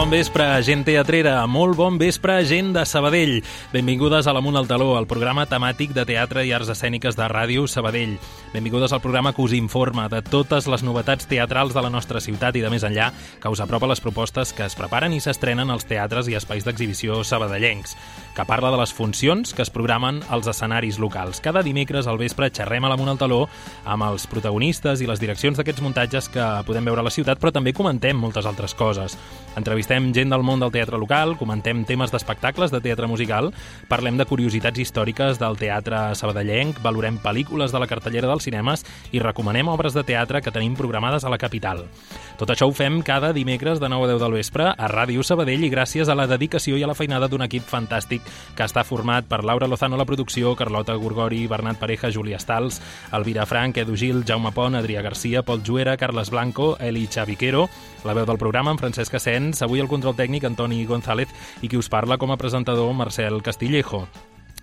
bon vespre, gent teatrera, molt bon vespre, gent de Sabadell. Benvingudes a l'Amunt al Taló, el programa temàtic de teatre i arts escèniques de Ràdio Sabadell. Benvingudes al programa que us informa de totes les novetats teatrals de la nostra ciutat i de més enllà, que us apropa les propostes que es preparen i s'estrenen als teatres i espais d'exhibició sabadellencs, que parla de les funcions que es programen als escenaris locals. Cada dimecres al vespre xerrem a l'Amunt al Taló amb els protagonistes i les direccions d'aquests muntatges que podem veure a la ciutat, però també comentem moltes altres coses. Entrevistem gent del món del teatre local, comentem temes d'espectacles de teatre musical, parlem de curiositats històriques del teatre sabadellenc, valorem pel·lícules de la cartellera dels cinemes i recomanem obres de teatre que tenim programades a la capital. Tot això ho fem cada dimecres de 9 a 10 del vespre a Ràdio Sabadell i gràcies a la dedicació i a la feinada d'un equip fantàstic que està format per Laura Lozano a la producció, Carlota Gorgori, Bernat Pareja, Júlia Stals, Elvira Frank, Edu Gil, Jaume Pont, Adrià Garcia, Pol Juera, Carles Blanco, Eli Xaviquero, la veu del programa en Francesc Asens, avui el control tècnic Antoni González i qui us parla com a presentador Marcel Castillejo.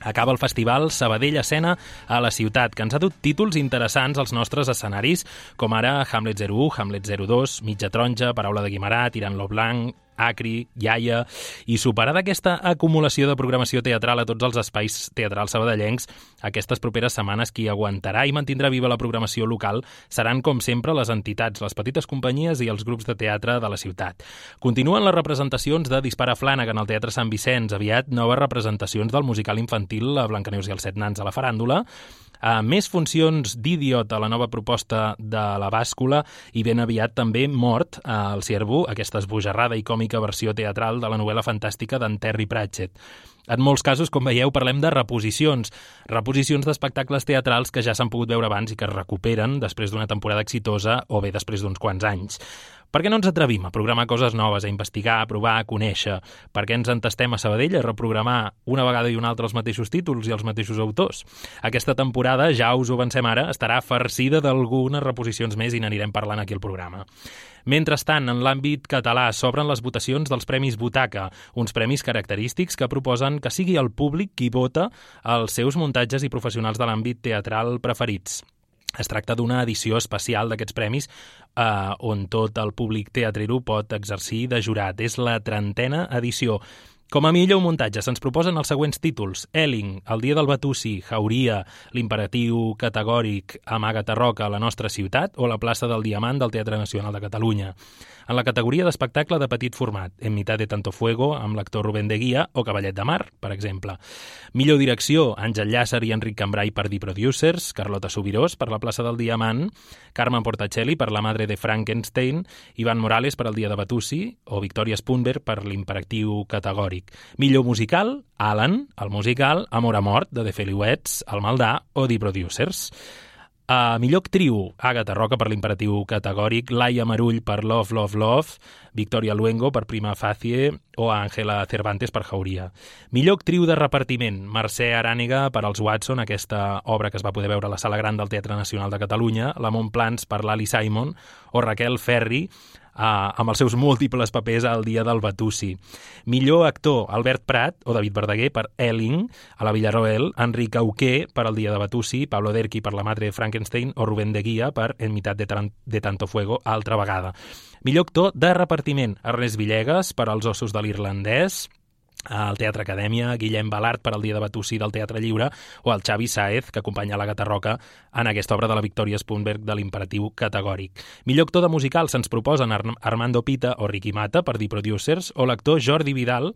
Acaba el festival Sabadell Escena a la ciutat, que ens ha dut títols interessants als nostres escenaris, com ara Hamlet 01, Hamlet 02, Mitja Taronja, Paraula de Guimarà, Tirant-lo Blanc, Acri, Iaia, i superada aquesta acumulació de programació teatral a tots els espais teatrals sabadellencs, aquestes properes setmanes qui aguantarà i mantindrà viva la programació local seran, com sempre, les entitats, les petites companyies i els grups de teatre de la ciutat. Continuen les representacions de Dispara Flanagan al Teatre Sant Vicenç, aviat noves representacions del musical infantil La Blancaneus i els set nans a la faràndula, més funcions d'Idiot a la nova proposta de la Bàscula i ben aviat també Mort al Ciervo, aquesta esbojarrada i còmica versió teatral de la novel·la fantàstica d'en Terry Pratchett. En molts casos, com veieu, parlem de reposicions d'espectacles teatrals que ja s'han pogut veure abans i que es recuperen després d'una temporada exitosa o bé després d'uns quants anys. Per què no ens atrevim a programar coses noves, a investigar, a provar, a conèixer? Per què ens entestem a Sabadell a reprogramar una vegada i una altra els mateixos títols i els mateixos autors? Aquesta temporada, ja us ho avancem ara, estarà farcida d'algunes reposicions més i n'anirem parlant aquí al programa. Mentrestant, en l'àmbit català s'obren les votacions dels Premis Butaca, uns premis característics que proposen que sigui el públic qui vota els seus muntatges i professionals de l'àmbit teatral preferits. Es tracta d'una edició especial d'aquests premis on tot el públic teatrero pot exercir de jurat. És la 30a edició. Com a millor muntatge se'ns proposen els següents títols: Elling, El dia del Batusi, Jauria, L'Imperatiu Categòric, Amaga't a Roca, La nostra ciutat o La plaça del Diamant del Teatre Nacional de Catalunya. En la categoria d'espectacle de petit format, En mitad de tanto fuego, amb l'actor Rubén de Guia o Cavallet de Mar, per exemple. Millor direcció, Àngel Llàcer i Enric Cambrai per The Producers, Carlota Subirós per La plaça del Diamant, Carme Portacelli per La madre de Frankenstein, Ivan Morales per El dia de Batusi o Victoria Spunberg per L'Imperatiu Categòric. Millor musical, Alan, el musical, Amor a mort, de The Feliuets, El Maldà o The Producers. Millor actriu, Àgata Roca per L'Imperatiu Categòric, Laia Marull per Love, Love, Love, Victoria Luengo per Prima Facie o Ángela Cervantes per Jauria. Millor actriu de repartiment, Mercè Arànega per Els Watson, aquesta obra que es va poder veure a la Sala Gran del Teatre Nacional de Catalunya, La Montplans per Lali Simon o Raquel Ferri amb els seus múltiples papers al dia del Batusi. Millor actor, Albert Prat o David Verdaguer per Elling, a la Villarroel, Enric Auqué per El dia de Batusi, Pablo Derqui per La madre de Frankenstein o Rubén de Guia per En mitad de tanto fuego, altra vegada. Millor actor de repartiment, Ernest Villegas per Els ossos de l'irlandès, al Teatre Acadèmia, Guillem Balart per El dia de Batusi del Teatre Lliure o el Xavi Sáez, que acompanya l'Àgata Roca en aquesta obra de la Victoria Spunberg de L'Imperatiu Categòric. Millor actor de musical se'ns proposen Armando Pita o Ricky Mata per The Producers o l'actor Jordi Vidal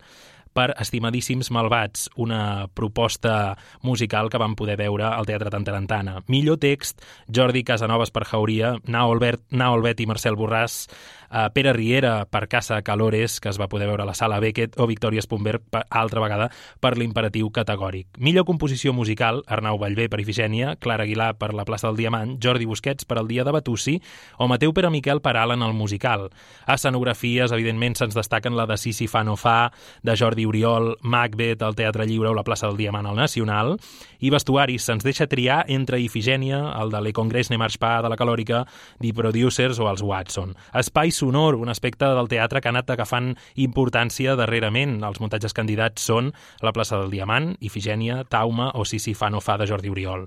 per Estimadíssims Malvats, una proposta musical que vam poder veure al Teatre Tantarantana. Millor text, Jordi Casanovas per Jauria, Nao Albet i Marcel Borràs, Pere Riera per Casa Calores, que es va poder veure a la Sala Beckett, o Victoria Spunberg, altra vegada, per L'Imperatiu Categòric. Millor composició musical, Arnau Ballbé per Ifigènia, Clara Aguilar per La plaça del Diamant, Jordi Busquets per El dia de Batusi o Mateu Peremiquel per Alan el musical. A escenografies, evidentment, se'ns destaquen la de Sisi fa no fa, de Jordi Jordi Oriol, Macbeth al Teatre Lliure o la plaça del Diamant al Nacional, i vestuaris se'ns deixa triar entre Ifigènia, el de Le Congrès Ne Marche Pas de la Calòrica, The Producers o els Watson. Espai sonor, un aspecte del teatre que ha anat agafant importància darrerament. Els muntatges candidats són la plaça del Diamant, Ifigènia, Tauma o Si fa no fa de Jordi Oriol.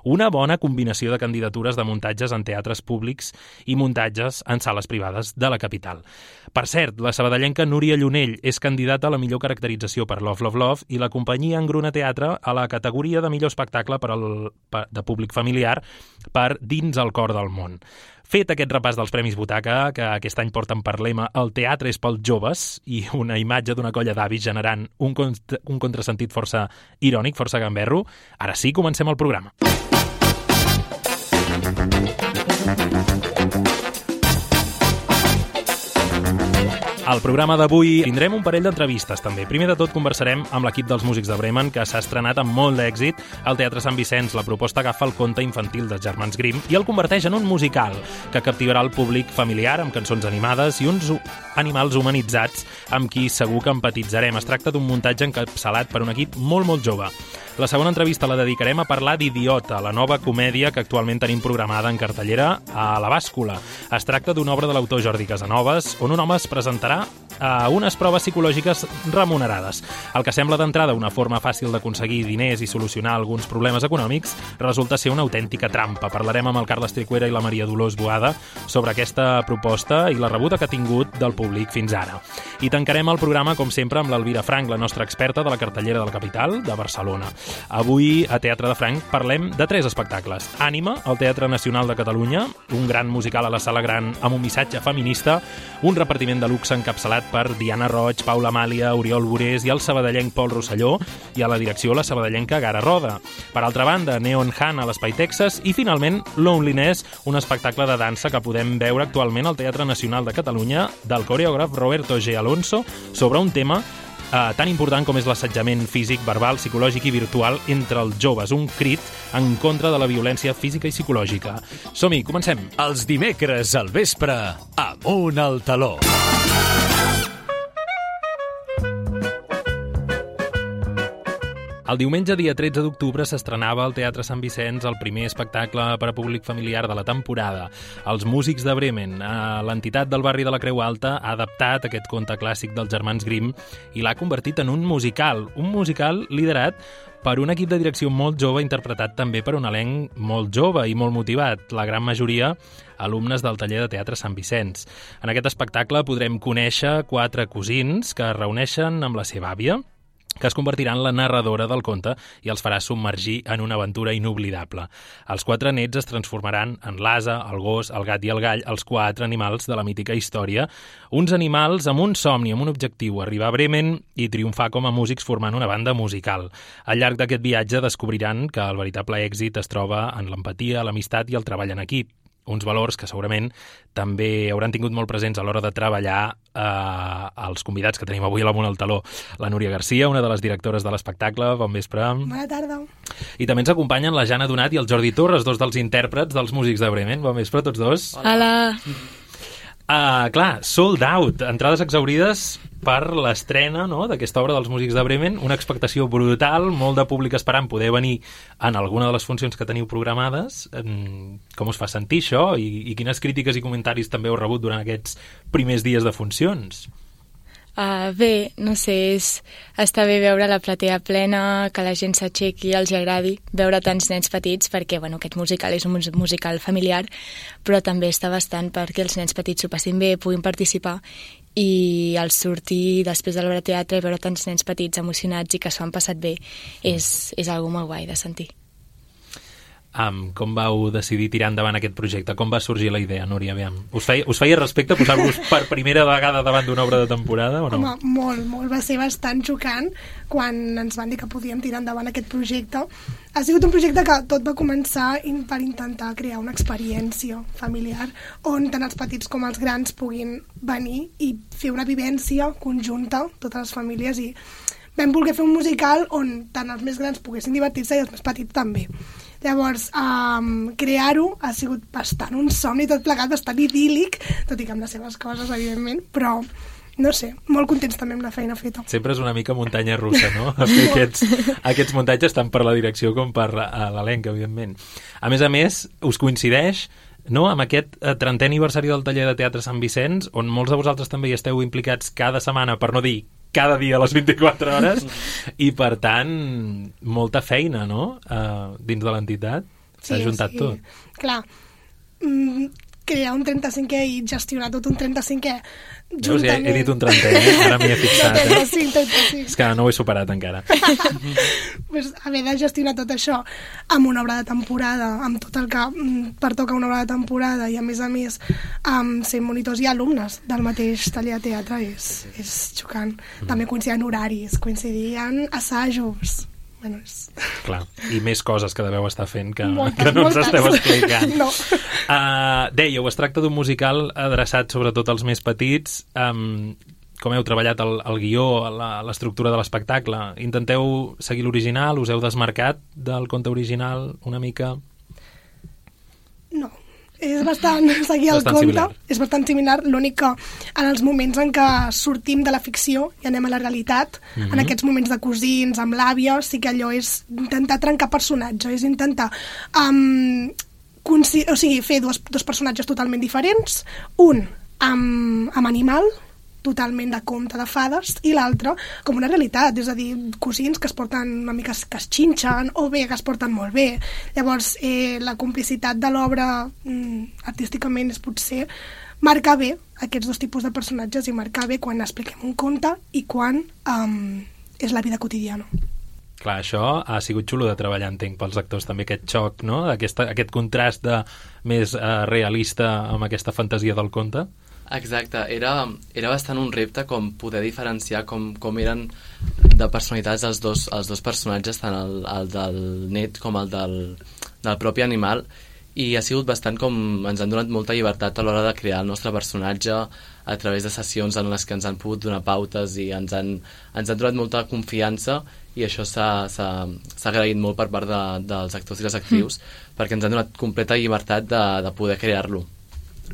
Una bona combinació de candidatures de muntatges en teatres públics i muntatges en sales privades de la capital. Per cert, la sabadellenca Núria Llunell és candidata a la millor caracterització per Love, Love, Love i la companyia Engruna Teatre a la categoria de millor espectacle de públic familiar per Dins el cor del món. Fet aquest repàs dels Premis Butaca, que aquest any porten per lema El teatre és pels joves i una imatge d'una colla d'avis generant un contrasentit força irònic, força gamberro, ara sí, comencem el programa. Al programa d'avui tindrem un parell d'entrevistes, també. Primer de tot conversarem amb l'equip dels Músics de Bremen, que s'ha estrenat amb molt d'èxit al Teatre Sant Vicenç. La proposta agafa el conte infantil dels germans Grimm i el converteix en un musical que captivarà el públic familiar amb cançons animades i uns animals humanitzats amb qui segur que empatitzarem. Es tracta d'un muntatge encapçalat per un equip molt, molt jove. La segona entrevista la dedicarem a parlar d'Idiota, la nova comèdia que actualment tenim programada en cartellera a la Bàscula. Es tracta d'una obra de l'autor Jordi Casanovas, on un home es presentarà a unes proves psicològiques remunerades. El que sembla d'entrada una forma fàcil d'aconseguir diners i solucionar alguns problemes econòmics resulta ser una autèntica trampa. Parlarem amb el Carles Tricuera i la Maria Dolors Boada sobre aquesta proposta i la rebuda que ha tingut del públic fins ara. I tancarem el programa, com sempre, amb l'Elvira Frank, la nostra experta de la cartellera de la capital, de Barcelona. Avui, a Teatre de Frank, parlem de 3 espectacles. Ànima, al Teatre Nacional de Catalunya, un gran musical a la Sala Gran amb un missatge feminista, un repartiment de luxe encapçalat per Diana Roig, Paula Amàlia, Oriol Borés i el sabadellenc Pol Rosselló, i a la direcció la sabadellenca Gara Roda. Per altra banda, Neon Han a l'Espai Texas i, finalment, Loneliness, un espectacle de dansa que podem veure actualment al Teatre Nacional de Catalunya del coreògraf Roberto G. Alonso sobre un tema tan important com és l'assetjament físic, verbal, psicològic i virtual entre els joves, un crit en contra de la violència física i psicològica. Som-hi, comencem. Els dimecres al vespre, Amunt al taló. El diumenge, dia 13 d'octubre, s'estrenava al Teatre Sant Vicenç el primer espectacle per a públic familiar de la temporada. Els Músics de Bremen, l'entitat del barri de la Creu Alta, ha adaptat aquest conte clàssic dels germans Grimm i l'ha convertit en un musical liderat per un equip de direcció molt jove, interpretat també per un elenc molt jove i molt motivat, la gran majoria alumnes del taller de teatre Sant Vicenç. En aquest espectacle podrem conèixer 4 cosins que es reuneixen amb la seva àvia, que es convertirà en la narradora del conte i els farà submergir en una aventura inoblidable. Els 4 nets es transformaran en l'ase, el gos, el gat i el gall, els 4 animals de la mítica història, uns animals amb un somni, amb un objectiu, arribar a Bremen i triomfar com a músics formant una banda musical. Al llarg d'aquest viatge descobriran que el veritable èxit es troba en l'empatia, l'amistat i el treball en equip. Uns valors que segurament també hauran tingut molt presents a l'hora de treballar els convidats que tenim avui a l'Amunt al taló. La Núria Garcia, una de les directores de l'espectacle. Bon vespre. Bona tarda. I també ens acompanyen la Jana Donat i el Jordi Torres, 2 dels intèrprets dels Músics de Bremen. Bon vespre, tots 2. Hola. Clar, sold out, entrades exhaurides per l'estrena, no?, d'aquesta obra dels Músics de Bremen, una expectació brutal, molt de públic esperant poder venir en alguna de les funcions que teniu programades. Com us fa sentir això? I quines crítiques i comentaris també heu rebut durant aquests primers dies de funcions? Bé, no sé, està bé veure la platea plena, que la gent s'aixequi i els agradi veure tants nens petits, perquè bueno, aquest musical és un musical familiar, però també està bastant perquè els nens petits s'ho passin bé, puguin participar, i al sortir després de l'obra de teatre i veure tants nens petits emocionats i que s'ho han passat bé és algo molt guai de sentir. Com vau decidir tirar endavant aquest projecte? Com va sorgir la idea, Núria? Aviam. Us feia respecte posar-vos per primera vegada davant d'una obra de temporada o no? Home, molt. Va ser bastant xocant quan ens van dir que podíem tirar endavant aquest projecte. Ha sigut un projecte que tot va començar per intentar crear una experiència familiar on tant els petits com els grans puguin venir i fer una vivència conjunta, totes les famílies, i vam voler fer un musical on tant els més grans poguessin divertir-se i els més petits també. Llavors, crear-ho ha sigut bastant un somni, tot plegat bastant idíl·lic, tot i que amb les seves coses, evidentment, però no sé, molt contents també amb la feina feta. Sempre és una mica muntanya russa, no? Aquests muntatges tant per la direcció com per l'elenc, evidentment. A més, us coincideix, no?, amb aquest 30è aniversari del taller de teatre Sant Vicenç, on molts de vosaltres també hi esteu implicats cada setmana, per no dir cada dia a les 24 hores, i per tant, molta feina, no?, dins de l'entitat. S'ha juntat tot. Clar, crear un 35è i gestionar tot un 35è juntament... He dit un 30è, ara m'hi he fixat. 35. És que no ho he superat encara. Pues, haver de gestionar tot això amb una obra de temporada, amb tot el que pertoca una obra de temporada i a més ser monitors i alumnes del mateix taller de teatre és xocant. També coincidien horaris, coincidien assajos. Bueno, Clar, i més coses que deveu estar fent que no moltes. Ens esteu explicant. No. Dèieu, es tracta d'un musical adreçat sobretot als més petits. Com heu treballat el guió, l'estructura de l'espectacle? Intenteu seguir l'original? Us heu desmarcat del conte original una mica? No. És bastant seguir el conte, és bastant similar, l'únic que en els moments en què sortim de la ficció i anem a la realitat, en aquests moments de cosins, amb l'àvia, sí que allò és intentar trencar personatge, és intentar fer dos personatges totalment diferents, un amb animal, totalment de conte de fades, i l'altre com una realitat, és a dir, cosins que es porten una mica, que es xinxen, o bé que es porten molt bé. Llavors, la complicitat de l'obra artísticament és potser marcar bé aquests dos tipus de personatges i marcar bé quan expliquem un conte i quan és la vida quotidiana. Clar, això ha sigut xulo de treballar, entenc, pels actors, també aquest xoc, no?, aquest contrast més realista amb aquesta fantasia del conte. Exacte, era bastant un repte com poder diferenciar com eren de personalitats els dos personatges, tant el del net com el del propi animal, i ha sigut bastant com ens han donat molta llibertat a l'hora de crear el nostre personatge a través de sessions en les que ens han pogut donar pautes i ens han donat molta confiança, i això s'ha agraït molt per part dels actors i les actrius, perquè ens han donat completa llibertat de poder crear-lo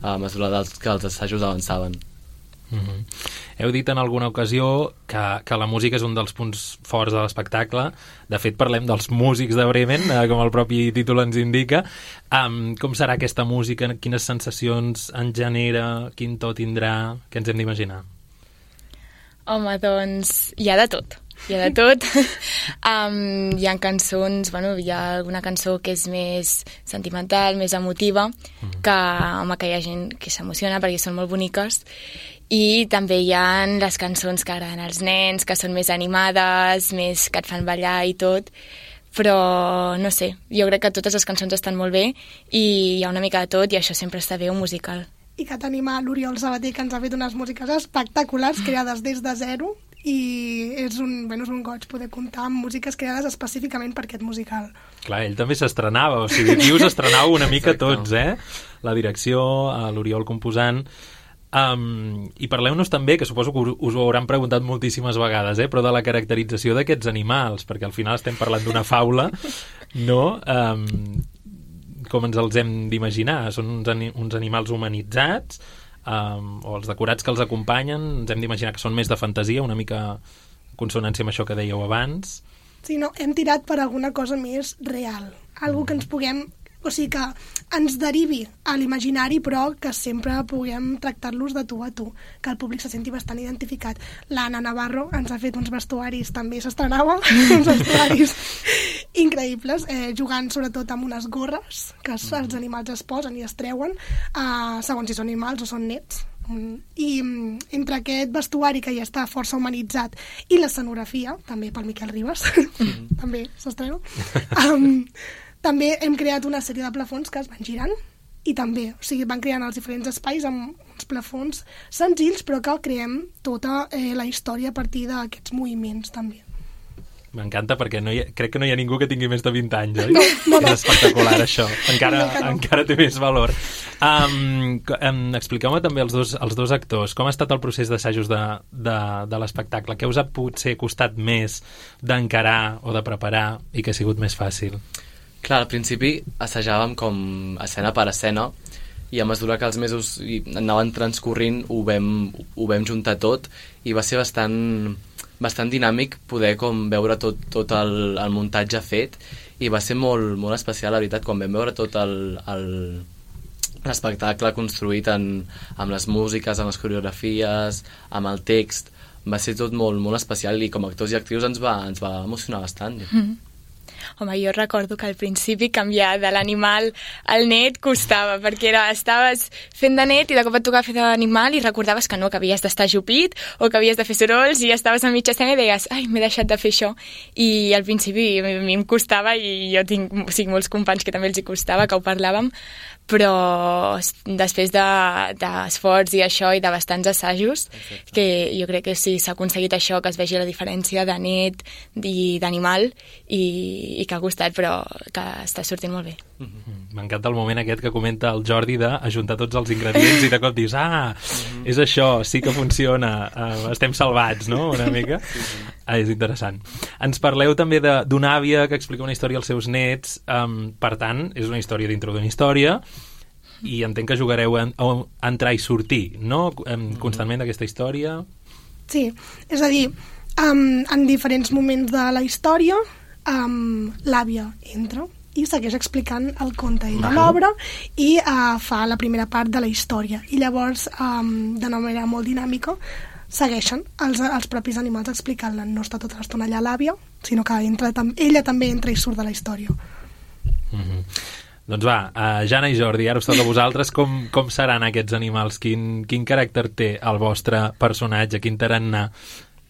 a mesura que els assajos avançaven. Heu dit en alguna ocasió que la música és un dels punts forts de l'espectacle. De fet, parlem dels músics de Bremen, com el propi títol ens indica. Com serà aquesta música? Quines sensacions en genera? Quin to tindrà? Què ens hem d'imaginar? Home, doncs hi ha de tot. Hi ha de tot. Hi ha cançons, hi ha alguna cançó que és més sentimental, més emotiva, que hi ha gent que s'emociona perquè són molt boniques, i també hi ha les cançons que agraden als nens, que són més animades, més que et fan ballar i tot, però no sé, jo crec que totes les cançons estan molt bé i hi ha una mica de tot, i això sempre està bé, un musical. I que tenim a l'Oriol Sabater, que ens ha fet unes músiques espectaculars, creades des de zero, i és un goig poder comptar amb músiques creades específicament per aquest musical. Clar, ell també s'estrenava, o sigui, aquí us estrenau una mica tots, la direcció, l'Oriol composant. I parleu-nos també, que suposo que us ho hauran preguntat moltíssimes vegades, però de la caracterització d'aquests animals, perquè al final estem parlant d'una faula, no? Com ens els hem d'imaginar? Són uns animals humanitzats, o els decorats que els acompanyen, ens hem d'imaginar que són més de fantasia, una mica en consonància amb això que dèieu abans. Sí, no, hem tirat per alguna cosa més real, algo que ens puguem, o sigui, que ens derivi a l'imaginari, però que sempre puguem tractar-los de tu a tu, que el públic se senti bastant identificat. L'Anna Navarro ens ha fet uns vestuaris, també s'estrenava, uns vestuaris increïbles, jugant sobretot amb unes gorres que els animals es posen i es treuen, segons si són animals o són nets. I entre aquest vestuari que ja està força humanitzat i l'escenografia, també pel Miquel Ribas, també s'estrena, també hem creat una sèrie de plafons que es van girant i també, o sigui, van creant els diferents espais amb uns plafons senzills, però que creem tota la història a partir d'aquests moviments també. M'encanta perquè crec que no hi ha ningú que tingui més de 20 anys, oi? No. És espectacular, això. Encara té més valor. Expliqueu-me també els dos actors. Com ha estat el procés d'assajos de l'espectacle? Què us ha potser costat més d'encarar o de preparar i que ha sigut més fàcil? Clar, al principi assajàvem com escena per escena i a mesura que els mesos anaven transcorrint ho vam juntar tot i va ser bastant dinàmic poder com veure tot el muntatge fet i va ser molt, molt especial, la veritat, quan vam veure tot l'espectacle construït amb les músiques, amb les coreografies, amb el text. Va ser tot molt, molt especial i com a actors i actrius ens va emocionar bastant. Home, jo recordo que al principi canviar de l'animal al net costava, perquè estaves fent de net i de cop et tocava fer d'animal i recordaves que no, que havies d'estar ajupit o que havies de fer sorolls i estaves a mitja escena i deies, ai, m'he deixat de fer això. I al principi a mi em costava i jo tinc molts companys que també els hi costava, que ho parlàvem, però després d'esforç i això i de bastants assajos, que jo crec que sí, s'ha aconseguit això, que es vegi la diferència de net i d'animal i que ha costat, però que està sortint molt bé. M'encanta el moment aquest que comenta el Jordi d'ajuntar tots els ingredients i de cop dius, és això, sí que funciona, estem salvats, no?, una mica. És interessant. Ens parleu també d'una àvia que explica una història als seus nets, per tant, és una història dintre d'una història, i entenc que jugareu a entrar i sortir, no?, constantment d'aquesta història. Sí, és a dir, en diferents moments de la història, l'àvia entra i segueix explicant el conte i de l'obra i fa la primera part de la història. I llavors, d'una manera molt dinàmica, segueixen els propis animals explicant-la. No està tota l'estona allà l'àvia, sinó que ella també entra i surt de la història. Doncs va, Jana i Jordi, ara us toca a vosaltres. Com seran aquests animals? Quin caràcter té el vostre personatge? Quin tarannà?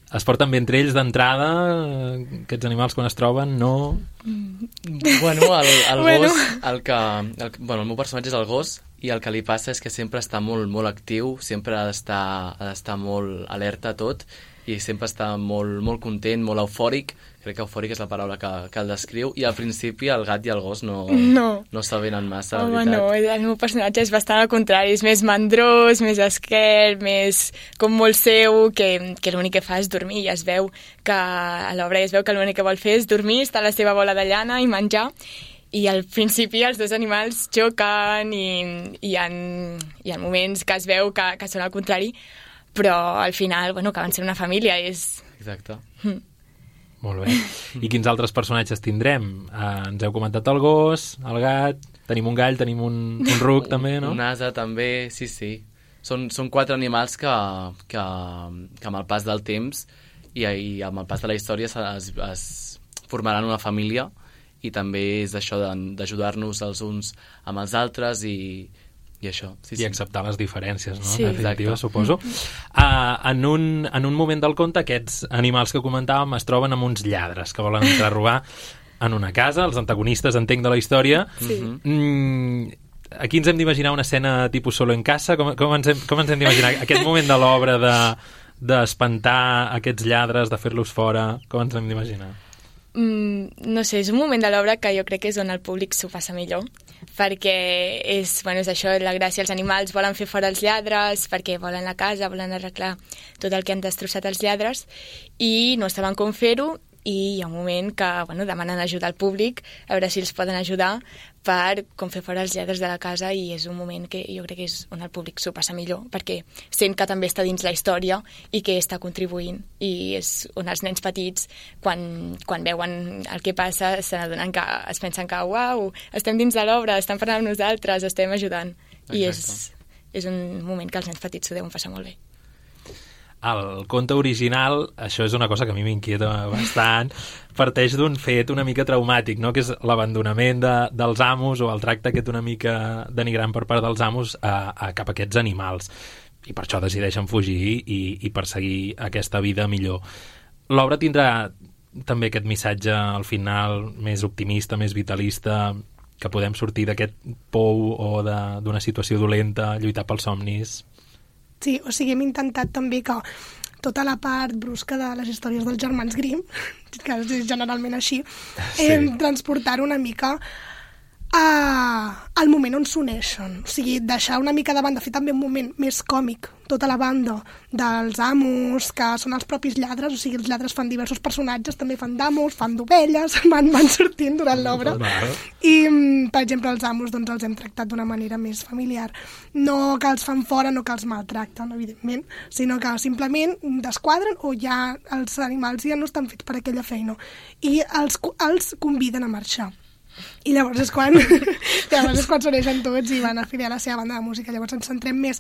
Es porten bé entre ells d'entrada? Aquests animals quan es troben, no? Bueno, el gos, el meu personatge és el gos i el que li passa és que sempre està molt, molt actiu, sempre ha d'estar molt alerta a tot i sempre està molt, molt content, molt eufòric. Crec que eufòric és la paraula que el descriu, i al principi el gat i el gos no s'avenen massa, la veritat. No, el meu personatge és bastant al contrari, és més mandrós, més esquert, més com molt seu, que l'únic que fa és dormir, i es veu que a l'obra es veu que l'únic que vol fer és dormir, estar a la seva bola de llana i menjar, i al principi els dos animals xoquen i hi ha moments que es veu que són al contrari, però al final, que van ser una família, és... Exacte. Molt bé. I quins altres personatges tindrem? Ens heu comentat el gos, el gat, tenim un gall, tenim un ruc també, no? Un ase també, sí. Són 4 animals que amb el pas del temps i amb el pas de la història es formaran una família, i també és això d'ajudar-nos els uns amb els altres i això. Sí. I acceptar les diferències, no? Sí. En definitiva, suposo. En un moment del conte, aquests animals que comentàvem es troben amb uns lladres que volen entrar a robar en una casa, els antagonistes, entenc, de la història. Sí. Aquí ens hem d'imaginar una escena tipus Solo en casa? Com ens hem d'imaginar aquest moment de l'obra d'espantar aquests lladres, de fer-los fora? Com ens hem d'imaginar? No sé, és un moment de l'obra que jo crec que és on el públic s'ho passa millor, perquè és això, la gràcia. Els animals volen fer fora els lladres perquè volen la casa, volen arreglar tot el que han destrossat els lladres, i no saben com fer-ho, i hi ha un moment que demanen ajuda al públic a veure si els poden ajudar per com fer fora els lladres de la casa, i és un moment que jo crec que és on el públic s'ho passa millor, perquè sent que també està dins la història i que està contribuint, i és on els nens petits quan veuen el que passa se n'adonen, que es pensen que uau, estem dins de l'obra, estan parlant amb nosaltres, estem ajudant. Exacte. I és un moment que els nens petits s'ho deuen passar molt bé. El conte original, això és una cosa que a mi m'inquieta bastant, parteix d'un fet una mica traumàtic, no?, que és l'abandonament dels amos, o el tracte aquest una mica denigrant per part dels amos cap a aquests animals, i per això decideixen fugir i perseguir aquesta vida millor. L'obra tindrà també aquest missatge al final més optimista, més vitalista, que podem sortir d'aquest pou o d'una situació dolenta, lluitar pels somnis. Sí, o sigui, hem intentat també que tota la part brusca de les històries dels germans Grimm, que és generalment així, transportar una mica al moment on s'uneixen. O sigui, deixar una mica de banda, fer també un moment més còmic, tota la banda dels amos, que són els propis lladres, o sigui, els lladres fan diversos personatges, també fan d'amos, fan d'ovelles, van sortint durant l'obra. I, per exemple, els amos doncs, els hem tractat d'una manera més familiar. No que els fan fora, no que els maltracten, evidentment, sinó que simplement desquadren o ja els animals ja no estan fets per aquella feina. I els conviden a marxar. I llavors és quan s'uneixen tots i van a afiliar la seva banda de música. Llavors ens centrem més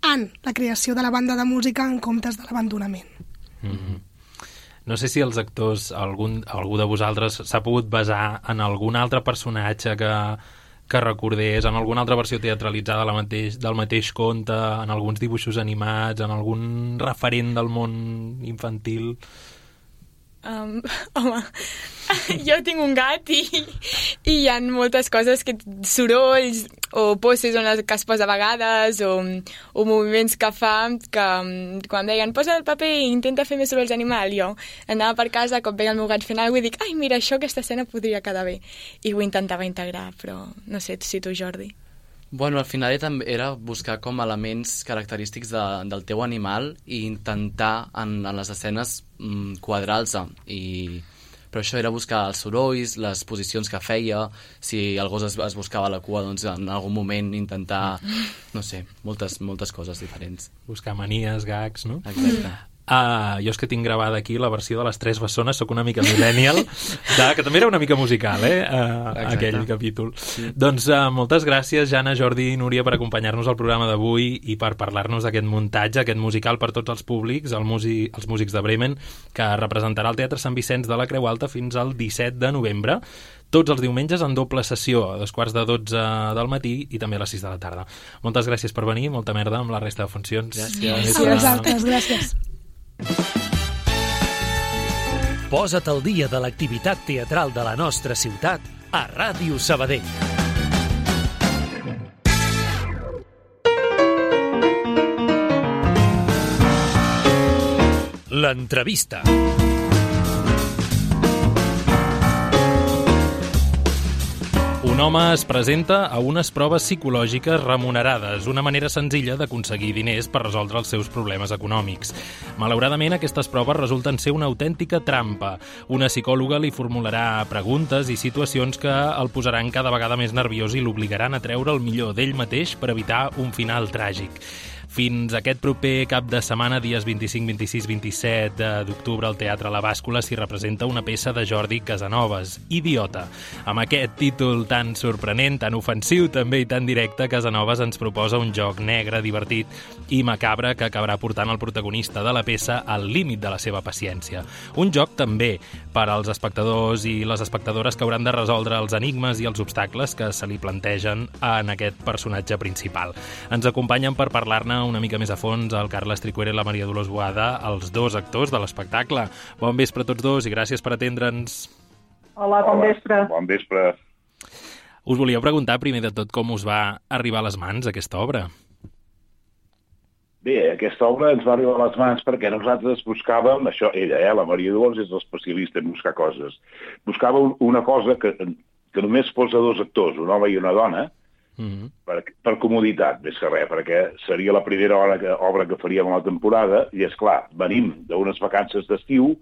en la creació de la banda de música en comptes de l'abandonament. No sé si els actors, algú de vosaltres s'ha pogut basar en algun altre personatge que recordés, en alguna altra versió teatralitzada del mateix conte, en alguns dibuixos animats, en algun referent del món infantil. Home, jo tinc un gat i hi ha moltes coses, sorolls o poses que es posa a vegades o moviments que fa, que quan deien posa el paper i intenta fer més sorolls d'animal, jo anava per casa, com veia el meu gat fent alguna cosa i dic, ai, mira, aquesta escena podria quedar bé, i ho intentava integrar, però no sé si tu, Jordi. Bueno, al final era buscar com elements característics del teu animal i intentar en les escenes quadrar-los. Però això era buscar els sorolls, les posicions que feia, si el gos es buscava la cua, doncs en algun moment intentar, no sé, moltes coses diferents. Buscar manies, gags, no? Exacte. Jo és que tinc gravada aquí la versió de les Tres Bessones, sóc una mica millennial, que també era una mica musical, aquell capítol. Sí. Doncs moltes gràcies, Jana, Jordi i Núria, per acompanyar-nos al programa d'avui i per parlar-nos d'aquest muntatge, aquest musical per tots els públics, els músics de Bremen, que representarà el Teatre Sant Vicenç de la Creu Alta fins al 17 de novembre, tots els diumenges en doble sessió, a 2:45 del matí i també a les 6 de la tarda. Moltes gràcies per venir, molta merda amb la resta de funcions. Gràcies. A vosaltres, gràcies. Posa't al dia de l'activitat teatral de la nostra ciutat a Ràdio Sabadell. L'entrevista. Un home es presenta a unes proves psicològiques remunerades, una manera senzilla d'aconseguir diners per resoldre els seus problemes econòmics. Malauradament, aquestes proves resulten ser una autèntica trampa. Una psicòloga li formularà preguntes i situacions que el posaran cada vegada més nerviós i l'obligaran a treure el millor d'ell mateix per evitar un final tràgic. Fins aquest proper cap de setmana, dies 25, 26, 27 d'octubre, al Teatre La Bàscula s'hi representa una peça de Jordi Casanovas, Idiota. Amb aquest títol tan sorprenent, tan ofensiu també i tan directe, Casanovas ens proposa un joc negre, divertit i macabre que acabarà portant el protagonista de la peça al límit de la seva paciència. Un joc també per als espectadors i les espectadores que hauran de resoldre els enigmes i els obstacles que se li plantegen en aquest personatge principal. Ens acompanyen per parlar-ne una mica més a fons el Carles Tricuera i la Maria Dolors Boada, els dos actors de l'espectacle. Bon vespre a tots dos i gràcies per atendre'ns. Hola, bon vespre. Bon vespre. Us volia preguntar primer de tot com us va arribar a les mans aquesta obra. Bé, aquesta obra ens va arribar a les mans perquè nosaltres buscàvem, això, ella, la Maria Dolors és l'especialista en buscar coses. Buscava una cosa que només fos a dos actors, un home i una dona, per comoditat, més que res, perquè seria la primera obra que faríem a la temporada i, és clar, venim d'unes vacances d'estiu,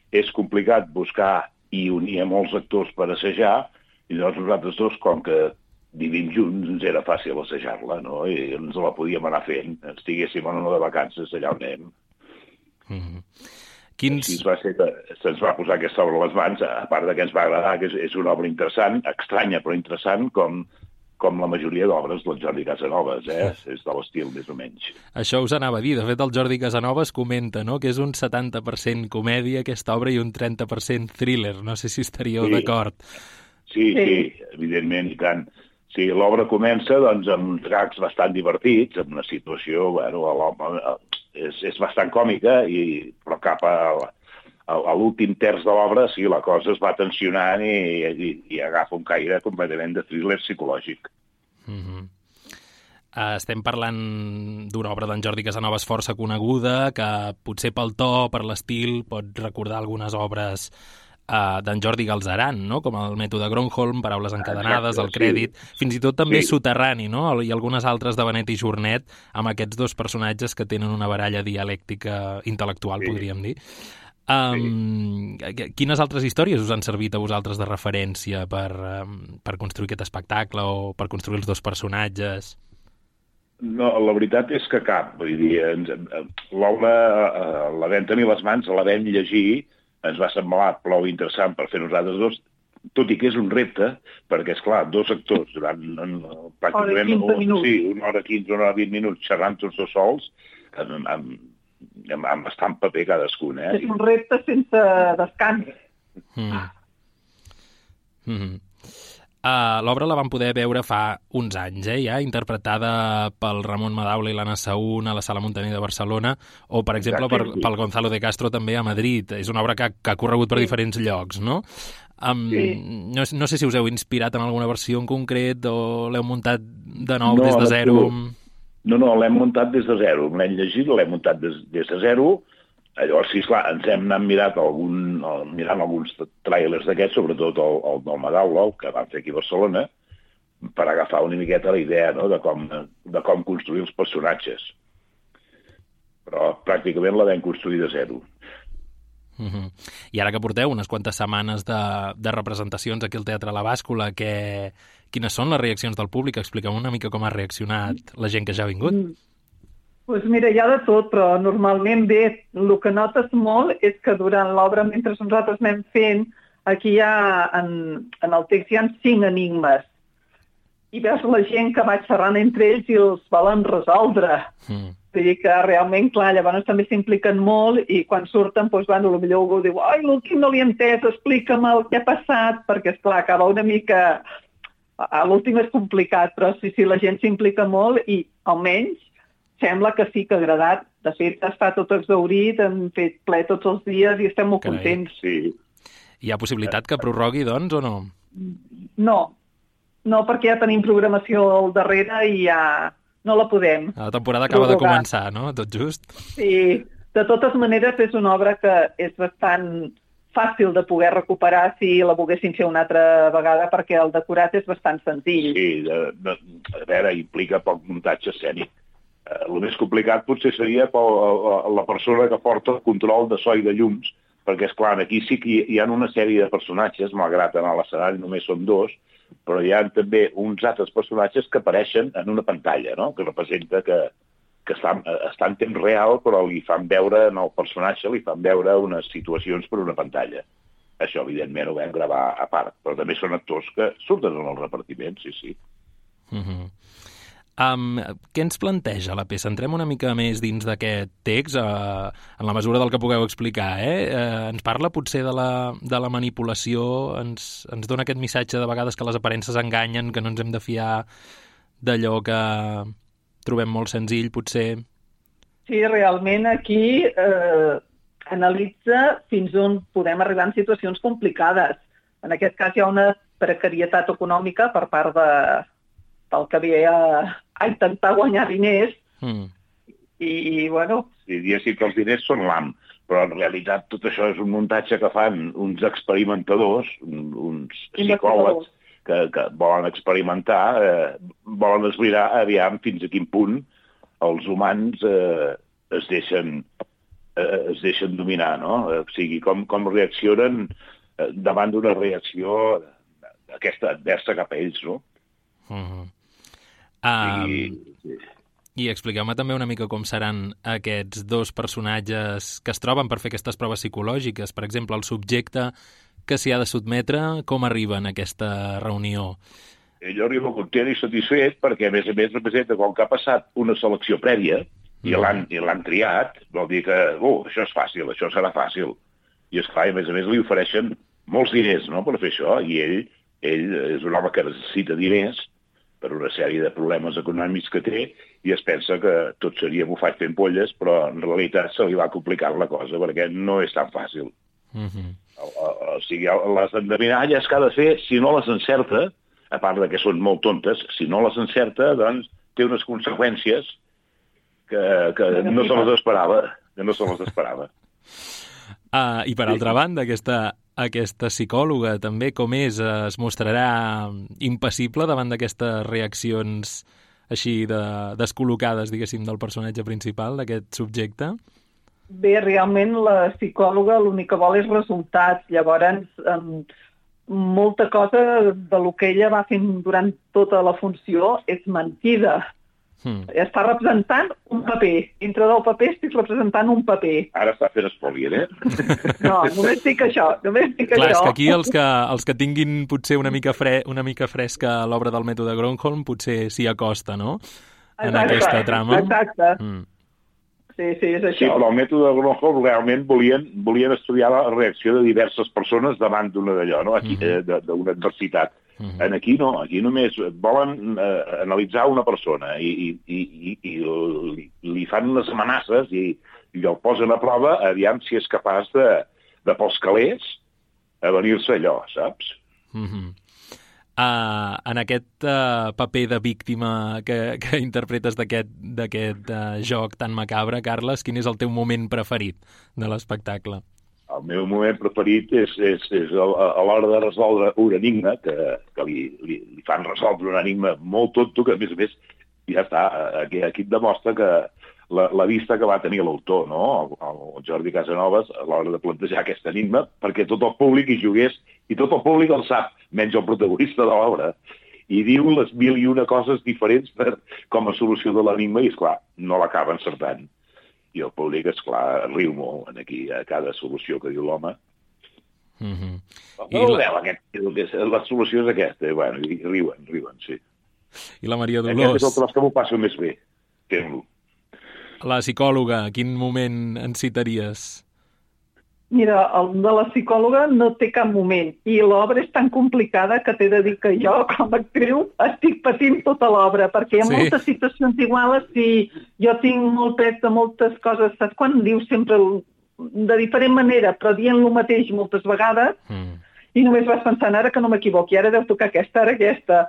és complicat buscar i unir a molts actors per assajar, i llavors nosaltres dos, com que vivim junts, ens era fàcil assajar-la, no? I ens la podíem anar fent, estiguéssim en una de vacances allà on anem. Així va ser que se'ns va posar aquesta obra a les mans, a part que ens va agradar, que és una obra interessant, estranya però interessant, com la majoria d'obres del Jordi Casanovas, és de l'estil més o menys. Això us anava a dir. De fet, el Jordi Casanovas comenta, no?, que és un 70% comèdia aquesta obra i un 30% thriller. No sé si estaríeu d'acord. Sí, evidentment, i tant. Sí, l'obra comença doncs, amb uns gags bastant divertits, amb una situació, és bastant còmica, però cap a l'últim terç de l'obra, sí, la cosa es va tensionant i agafa un caire completament de thriller psicològic. Estem parlant d'una obra d'en Jordi Casanovas força coneguda, que potser pel to, per l'estil, pot recordar algunes obres d'en Jordi Galzeran, no? Com el mètode Gronholm, paraules encadenades, el Exacte, crèdit, fins i tot també Sí. soterrani, no? I algunes altres de Benet i Jornet, amb aquests dos personatges que tenen una baralla dialèctica intel·lectual, Sí. podríem dir. Quines altres històries us han servit a vosaltres de referència per construir aquest espectacle o per construir els dos personatges? No, la veritat és que cap. Vull dir, l'obra la vam tenir a les mans, la vam llegir, ens va semblar prou interessant per fer nosaltres dos, tot i que és un repte, perquè, és clar, dos actors durant pràcticament 15 minuts. Sí, una hora 15, una hora 20 minuts, xerrant tots dos sols, amb bastant paper cadascun, És un repte sense descans. L'obra la vam poder veure fa uns anys, ja interpretada pel Ramon Madaula i l'Anna Saún a la Sala Muntaner de Barcelona, o, per exemple, Exacte, pel Gonzalo de Castro també a Madrid. És una obra que ha corregut per diferents llocs, no? No sé si us heu inspirat en alguna versió en concret o l'heu muntat de nou, des de zero. No, l'hem muntat des de zero. L'hem llegit, l'hem muntat des de zero. Llavors, sí, esclar, ens hem anat mirant alguns tràilers d'aquests, sobretot el del Madaula, el que van fer aquí a Barcelona, per agafar una miqueta la idea, no?, de com construir els personatges. Però pràcticament la vam construir de zero. I ara que porteu unes quantes setmanes de representacions aquí al Teatre La Bàscula, quines són les reaccions del públic? Expliqueu una mica com ha reaccionat la gent que ja ha vingut. Doncs mira, hi ha de tot, però normalment bé, el que notes molt és que durant l'obra, mentre nosaltres anem fent, aquí hi ha, en el text hi ha 5 enigmes. I veus la gent que va xerrant entre ells i els volen resoldre. Vull dir que realment, clar, llavors també s'impliquen molt i quan surten, doncs, potser algú diu ai, l'últim no l'he entès, explica'm el que ha passat, perquè, esclar, acaba una mica... L'últim és complicat, però sí, la gent s'implica molt i, almenys, sembla que sí que ha agradat. De fet, està tot exhaurit, hem fet ple tots els dies i estem molt contents. Sí. Hi ha possibilitat que prorrogui, doncs, o no? No, perquè ja tenim programació al darrere i ja no la podem. La temporada acaba de començar, no? Tot just. Sí, de totes maneres és una obra que és bastant fàcil de poder recuperar si la volguessin fer una altra vegada, perquè el decorat és bastant senzill. Sí, a veure, implica poc muntatge escènic. El més complicat potser seria la persona que porta el control de so i de llums, perquè, esclar, aquí sí que hi ha una sèrie de personatges, malgrat en l'escenari només són 2, però hi ha també uns altres personatges que apareixen en una pantalla, no?, que representa que està en temps real, però li fan veure, en el personatge, li fan veure unes situacions per una pantalla. Això, evidentment, ho vam gravar a part, però també són actors que surten en el repartiment, sí. Què ens planteja la peça? Entrem una mica més dins d'aquest text, en la mesura del que pugueu explicar, Ens parla potser de la manipulació, ens dona aquest missatge de vegades que les aparences enganyen, que no ens hem de fiar d'allò que trobem molt senzill, potser. Sí, realment aquí analitza fins on podem arribar en situacions complicades. En aquest cas hi ha una precarietat econòmica per part del que ve a intentar guanyar diners i bueno... Sí, diguéssim que els diners són l'am, però en realitat tot això és un muntatge que fan uns experimentadors, uns psicòlegs que volen experimentar, volen esbrinar aviam fins a quin punt els humans es deixen dominar, no? O sigui, com reaccionen davant d'una reacció d'aquesta adversa cap a ells, no? I expliqueu-me també una mica com seran aquests dos personatges que es troben per fer aquestes proves psicològiques. Per exemple, el subjecte que s'hi ha de sotmetre, com arriba en aquesta reunió? Ell arriba content i satisfet perquè, a més representa com que ha passat una selecció prèvia i l'han triat, vol dir que això és fàcil, això serà fàcil. I esclar, a més li ofereixen molts diners, no?, per fer això, i ell és un home que necessita diners per una sèrie de problemes econòmics que té i es pensa que tot seria bufat fent polles, però en realitat se li va complicar la cosa perquè no és tan fàcil. O sigui, les endevinalles que ha de fer, si no les encerta, a part que són molt tontes, si no les encerta, doncs té unes conseqüències que no se les esperava. I per altra banda, aquesta aquesta psicòloga també, com és? Es mostrarà impassible davant d'aquestes reaccions així descol·locades, diguéssim, del personatge principal, d'aquest subjecte? Bé, realment la psicòloga l'únic que vol és resultats. Llavors, molta cosa de lo que ella va fent durant tota la funció és mentida. Està representant un paper. Dintre del paper estic representant un paper. Ara està fent spoiler, No, només dic això. Clar, és que aquí els que tinguin potser una mica fresca l'obra del mètode Gronholm potser s'hi acosta, no? En aquesta trama. Exacte. Sí, és així. Sí, però el mètode Gronholm realment volien estudiar la reacció de diverses persones davant d'una d'allò, no? Aquí, d'una adversitat. En aquí no, aquí només volen analitzar una persona i li fan unes amenaces i el posen a prova aviam si és capaç de pels calés a venir-se allò, saps? En aquest paper de víctima que interpretes d'aquest joc tan macabre, Carles, quin és el teu moment preferit de l'espectacle? El meu moment preferit és a l'hora de resoldre un enigma, que li fan resoldre un enigma molt tonto, que a més ja està, aquí et demostra que la vista que va tenir l'autor, no? El Jordi Casanovas, a l'hora de plantejar aquest enigma, perquè tot el públic hi jugués, i tot el públic el sap, menys el protagonista de l'obra, i diu les 1001 coses diferents com a solució de l'enigma, i esclar, no l'acaba encertant. I el públic, esclar, riu molt aquí a cada solució que diu l'home. La solució és aquesta. Bueno, i riuen, sí. I la Maria Dolors? Aquest és el tros que m'ho passo més bé, fent-lo. La psicòloga, quin moment en citaries? Mira, el de la psicòloga no té cap moment. I l'obra és tan complicada que t'he de dir que jo, com a actriu, estic patint tota l'obra, perquè hi ha moltes situacions iguals i jo tinc molt pes de moltes coses. Saps quan dius sempre de diferent manera, però dient el mateix moltes vegades, i només vas pensant, ara que no m'equivoqui, ara deu tocar aquesta, ara aquesta.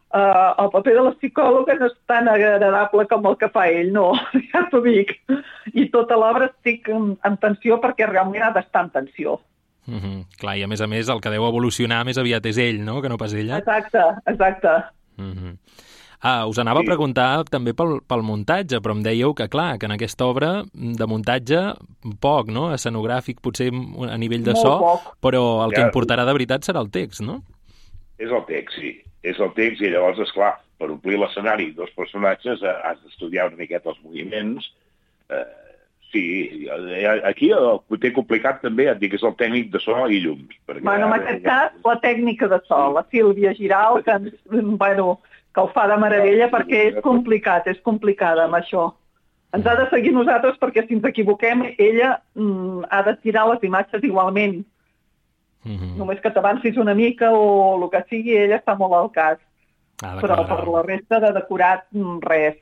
El paper de la psicòloga no és tan agradable com el que fa ell, no, ja t'ho dic. I tota l'obra estic en tensió perquè realment ha d'estar en tensió. Clar, i a més, el que deu evolucionar més aviat és ell, no?, que no pas ella. Exacte. Us anava a preguntar també pel muntatge, però em dèieu que, clar, que en aquesta obra de muntatge poc, no?, escenogràfic, potser a nivell de so, però el que importarà de veritat serà el text, no? És el text, sí. És el text i llavors, esclar, per omplir l'escenari dos personatges has d'estudiar una miqueta els moviments. Sí, aquí el que té complicat també, et dic, és el tècnic de so i llums. Bueno, en aquest cas, la tècnica de so, la Sílvia Giral, que ho fa de meravella perquè és complicada amb això. Ens ha de seguir nosaltres perquè si ens equivoquem, ella ha de tirar les imatges igualment. Només que t'avancis una mica o el que sigui, ella està molt al cas. Però per la resta de decorat, res.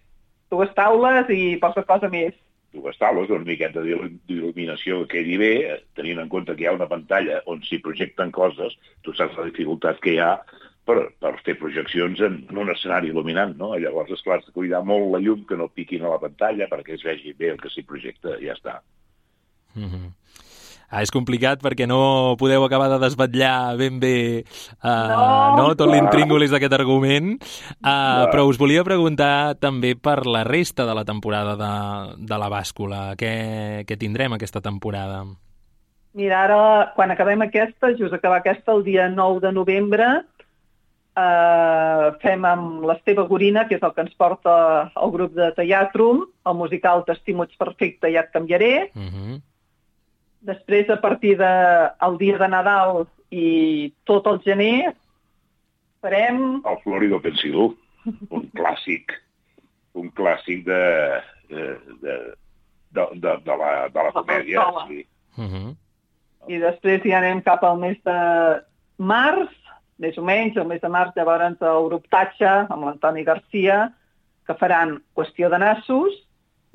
2 taules i poca cosa més. 2 taules, una miqueta d'il·luminació que quedi bé, tenint en compte que hi ha una pantalla on s'hi projecten coses, tu saps la dificultat que hi ha per fer projeccions en un escenari il·luminant, no? Llavors, esclar, has de cuidar molt la llum que no piquin a la pantalla perquè es vegi bé el que s'hi projecta i ja està. És complicat perquè no podeu acabar de desvetllar ben bé tot l'intríngulis d'aquest argument, però us volia preguntar també per la resta de la temporada de la bàscula. Què tindrem aquesta temporada? Mira, ara, quan acabem aquesta, just acabar aquesta, el dia 9 de novembre, fem amb l'Esteve Gorina, que és el que ens porta el grup de Teatrum, el musical T'estimo, ets perfecte, ja et canviaré. Després, a partir del dia de Nadal i tot el gener, farem... El Florido Pensidú, un clàssic de la comèdia. Sí. I després ja anem cap al mes de març, més o menys, el mes de març llavors el grup Tatxa, amb l'Antoni Garcia, que faran Qüestió de nassos,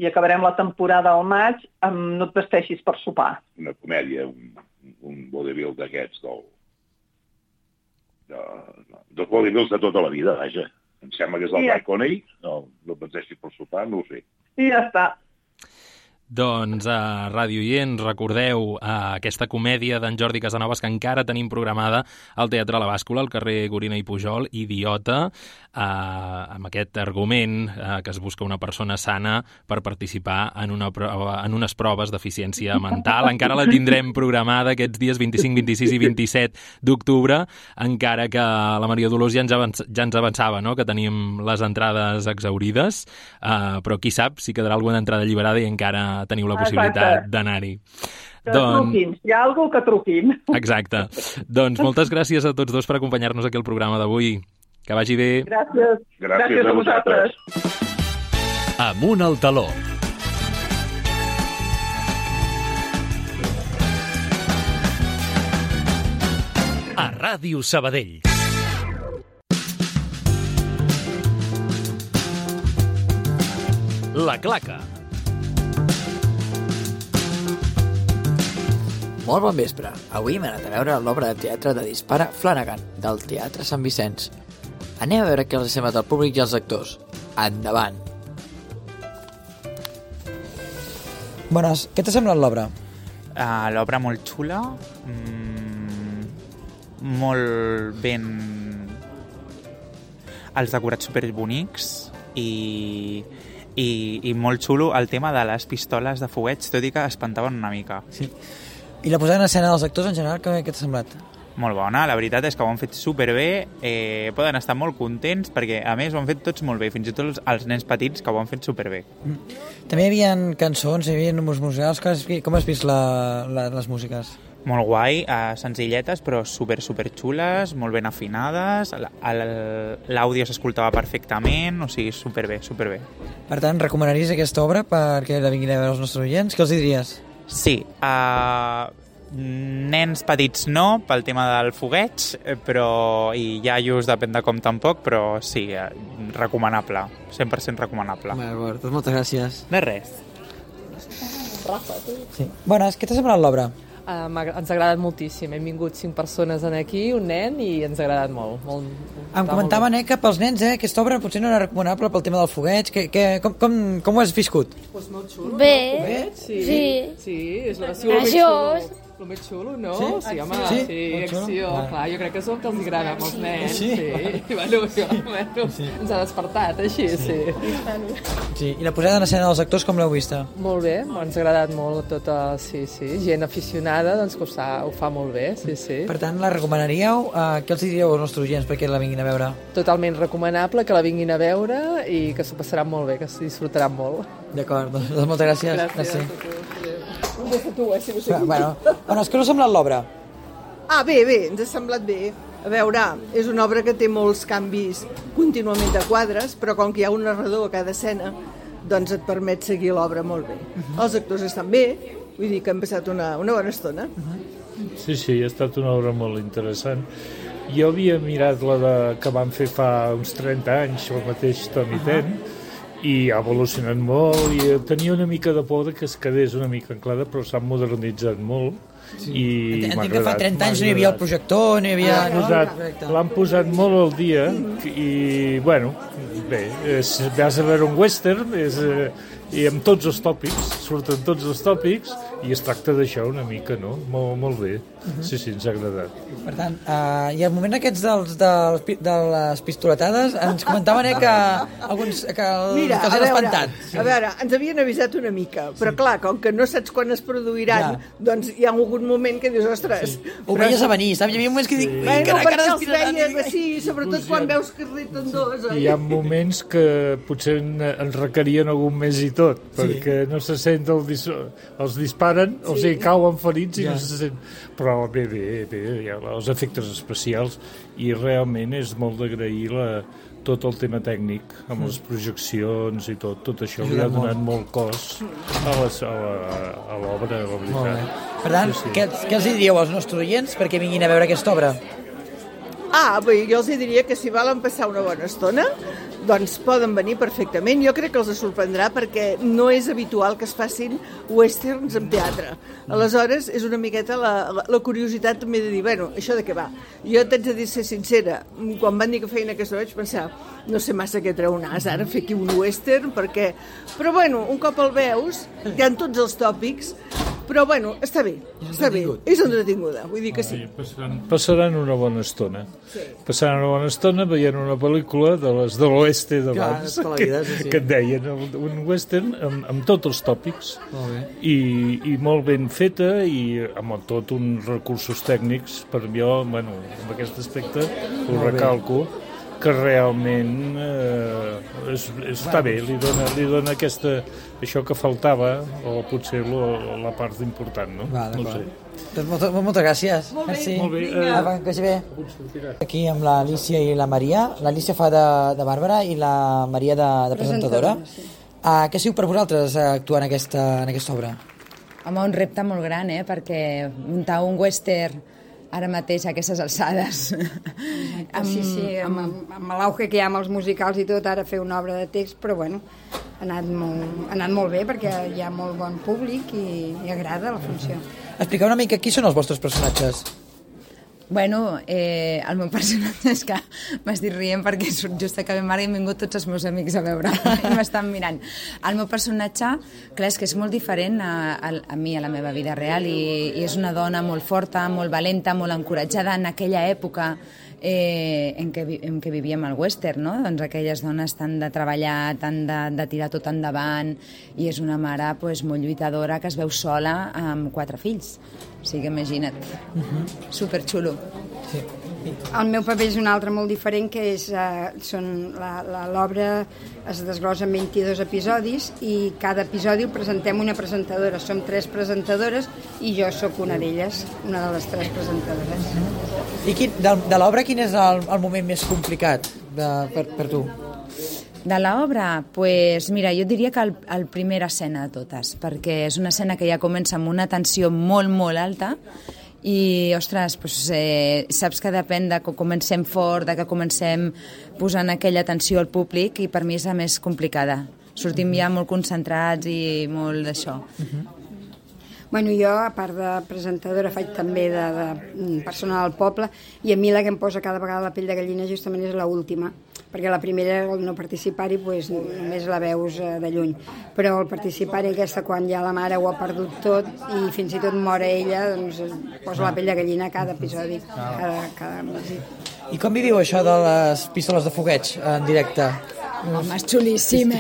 i acabarem la temporada al maig amb No et vesteixis per sopar. Una comèdia, un vodevil d'aquests, dels vodevils de tota la vida, vaja. Em sembla que és el Ray Coney, no et vesteixis per sopar, no ho sé. I ja està. Doncs a Ràdio Oients, recordeu aquesta comèdia d'en Jordi Casanovas que encara tenim programada al Teatre La Bàscula, al carrer Gorina i Pujol, Idiota, amb aquest argument que es busca una persona sana per participar en unes proves d'eficiència mental. Encara la tindrem programada aquests dies 25, 26 i 27 d'octubre, encara que la Maria Dolors ja ens avançava, no?, que tenim les entrades exaurides, però qui sap si quedarà alguna entrada alliberada i encara teniu la possibilitat d'anar-hi. Truquin, hi ha algú que truquin. Exacte. Doncs moltes gràcies a tots dos per acompanyar-nos aquí al programa d'avui. Que vagi bé. Gràcies. Gràcies a vosaltres. Amunt al taló. A Ràdio Sabadell. La Claca. Molt bon vespre. Avui hem anat a veure l'obra de teatre de Dispara Flanagan, del Teatre Sant Vicenç. Anem a veure què els ha semblat al públic i als actors. Endavant! Bones, què t'ha semblat l'obra? L'obra molt xula, molt ben... els decorats superbonics i molt xulo el tema de les pistoles de fogueig, tot i que espantaven una mica. Sí. I la posada en escena dels actors en general, què t'ha semblat? Molt bona, la veritat és que ho han fet superbé, poden estar molt contents perquè a més ho han fet tots molt bé, fins i tot els nens petits que ho han fet superbé. També hi havia cançons, hi havia números musicals, com has vist les músiques? Molt guai, senzilletes però super xules, molt ben afinades, l'àudio s'escoltava perfectament, o sigui, superbé. Per tant, recomanaries aquesta obra perquè la vinguin a veure els nostres oients? Què els diries? Sí, nens petits no, pel tema del fogueig, però i iaios depèn de com tampoc, però sí, recomanable, 100% recomanable. D'acord, doncs moltes gràcies. De res. Rafa, tu? Sí. Bones, què t'ha semblat l'obra? Ens ha agradat moltíssim. Hem vingut 5 persones aquí, un nen, i ens ha agradat molt. Em comentaven que pels nens aquesta obra potser no era recomanable pel tema del fogueig. Com ho has viscut? Pues molt xulo. Bé, no? Sí, és el més xulo, no? Sí, home, sí, acció. Clar, jo crec que és el que els agrada als nens. Sí. Bueno, ens ha despertat, així, sí. Sí, i la posada en escena dels actors com l'heu vista? Molt bé, ens ha agradat molt tota, sí, gent aficionada, doncs que ho fa molt bé, sí. Per tant, la recomanaríeu? Què els diríeu als nostres oients perquè la vinguin a veure? Totalment recomanable que la vinguin a veure i que s'ho passaran molt bé, que s'ho disfrutaran molt. D'acord, doncs moltes gràcies. Gràcies. Bueno, és que no ha semblat l'obra? Bé, ens ha semblat bé. A veure, és una obra que té molts canvis contínuament de quadres, però com que hi ha un narrador a cada escena, doncs et permet seguir l'obra molt bé. Els actors estan bé, vull dir que hem passat una bona estona. Sí, ha estat una obra molt interessant. Jo havia mirat la que van fer fa uns 30 anys, el mateix Toni Ten, i ha evolucionat molt, i tenia una mica de por que es quedés una mica anclada, però s'ha modernitzat molt. I entenc que fa 30 anys no hi havia el projector, no hi havia... L'han posat molt al dia i, bueno, bé, vas a veure un western i amb tots els tòpics, surten tots els tòpics i es tracta d'això una mica, no? Molt bé. Sí, ens ha agradat. Per tant, i al moment aquests de les pistoletades ens comentaven que els han espantat. A veure, ens havien avisat una mica, però clar, com que no saps quan es produiran, doncs hi ha hagut moment que dius, ostres... Ho veies a venir, saps? Hi havia moments que dic... Bueno, perquè els veies així, sobretot quan veus que es reten dos. Hi ha moments que potser ens requerien algun més i tot, perquè no se sent els disparen, o sigui, cauen ferits i no se sent... Però bé, hi ha els efectes especials i realment és molt d'agrair tot el tema tècnic, amb les projeccions i tot això li ha donat molt cos a l'obra, la veritat. Per tant, què els diríeu als nostres oients perquè vinguin a veure aquesta obra? Bé, jo els diria que si volen passar una bona estona, doncs poden venir perfectament. Jo crec que els sorprendrà perquè no és habitual que es facin westerns en teatre. Aleshores, és una miqueta la curiositat també de dir, bueno, això de què va? Jo t'haig de dir, ser sincera, quan van dir que feien aquesta vaig pensar, no sé massa què treu nas ara, fer aquí un western, perquè... Però bueno, un cop el veus, hi ha tots els tòpics, però bueno, està bé, és entretinguda, vull dir que sí. Passaran una bona estona. Passaran una bona estona veient una pel·lícula de les de l'oeste d'abans, que et deien, un western amb tots els tòpics, i molt ben feta, i amb tot uns recursos tècnics, per jo, bueno, en aquest aspecte, ho recalco, que realment està bé, li dona això que faltava, o potser la part important, no? No sé. Moltes gràcies. Molt bé. Merci. Molt bé. Que vagi bé. Aquí amb l'Alicia i la Maria. L'Alicia fa de Bàrbara i la Maria de presentadora. Què siu per vosaltres actuar en aquesta obra? Home, un repte molt gran, perquè muntar un western ara mateix a aquestes alçades. Sí, amb l'auge que hi ha amb els musicals i tot, ara fer una obra de text, però bueno, ha anat molt bé perquè hi ha molt bon públic i agrada la funció. Expliqueu una mica qui són els vostres personatges. Bueno, el meu personatge és que m'estic rient perquè just acabem ara i han vingut tots els meus amics a veure i m'estan mirant. El meu personatge, clar, és que és molt diferent a mi, a la meva vida real, i és una dona molt forta, molt valenta, molt encoratjada en aquella època en què vivíem el western, no? Doncs aquelles dones tan de treballar, tan de tirar tot endavant, i és una mare molt lluitadora que es veu sola amb 4 fills. O sigui, imagina't. Superxulo. Sí. El meu paper és un altre molt diferent, que és l'obra es desglossa en 22 episodis i cada episodi ho presentem una presentadora. Som 3 presentadores i jo sóc una d'elles, una de les 3 presentadores. I de l'obra quin és el moment més complicat per tu? De l'obra? Doncs mira, jo diria que el primera escena de totes, perquè és una escena que ja comença amb una tensió molt, molt alta i, ostres, saps que depèn de que comencem fort, de que comencem posant aquella atenció al públic, i per mi és la més complicada. Sortim ja molt concentrats i molt d'això. Bueno, jo, a part de presentadora, faig també de persona del poble, i a mi la que em posa cada vegada la pell de gallina justament és l'última, perquè la primera, el no participar-hi, només la veus de lluny. Però el participar-hi, aquesta, quan ja la mare ho ha perdut tot i fins i tot mor ella, doncs posa la pell de gallina a cada episodi, cada visit. I com viviu això de les pistoles de fogueig en directe? Home, és xulíssim,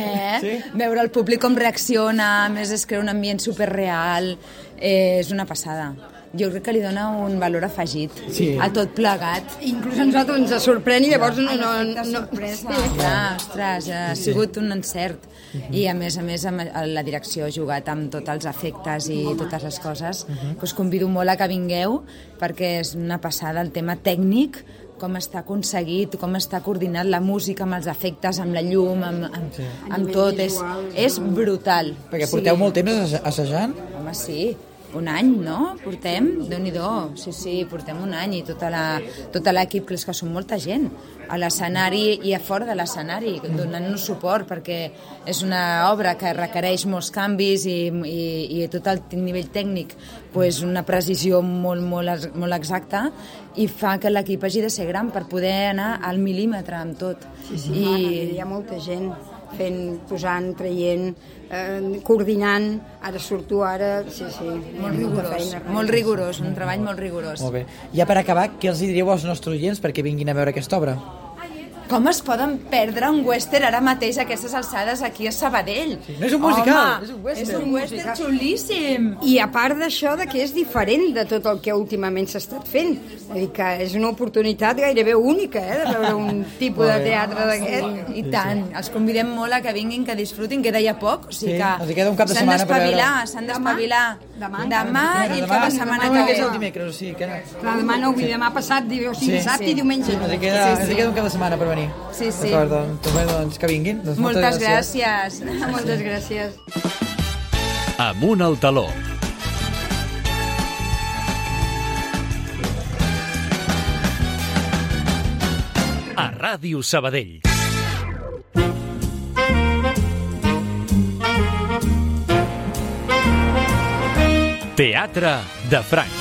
Sí? Veure el públic com reacciona, a més es crea un ambient superreal, és una passada. Jo crec que li dona un valor afegit a tot plegat. Inclús a nosaltres ens sorprèn i llavors no... sorpresa. Ostres, ha sigut un encert. I a més, la direcció ha jugat amb tots els efectes i totes les coses. Us convido molt a que vingueu, perquè és una passada el tema tècnic, com està aconseguit, com està coordinat la música amb els efectes, amb la llum, amb tot. És brutal. Perquè porteu molt temps assajant? Home, sí. Un any, no? Portem? Déu-n'hi-do. Sí, portem un any, i tot l'equip, que és que són molta gent, a l'escenari i a fora de l'escenari, donant-nos suport, perquè és una obra que requereix molts canvis i tot el nivell tècnic, una precisió molt exacta, i fa que l'equip hagi de ser gran per poder anar al mil·límetre amb tot. Sí, hi ha molta gent posant, traient, coordinant, ara surto, sí, molt rigorós, un treball molt rigorós. Molt bé. Ja per acabar, què els diríeu als nostres oients perquè vinguin a veure aquesta obra? Com es poden perdre un western ara mateix a aquestes alçades aquí a Sabadell? No és un musical, és un western xulíssim. I a part d'això, que és diferent de tot el que últimament s'ha estat fent. Vull dir que és una oportunitat gairebé única, de veure un tipus de teatre d'aquest. I tant. Els convidem molt a que vinguin, que disfrutin, queda ja poc. O sigui que els queda un cap de setmana per veure. S'han d'espavilar. Demà i el cap de setmana que ve. És el dimecres, o sigui que... Demà no, demà passat, dissabte i diumenge. Els queda un cap de setmana per venir. Sí. D'acord, doncs que vinguin. Moltes gràcies. Moltes gràcies. Amunt al taló. a Ràdio Sabadell. Teatre de Franc.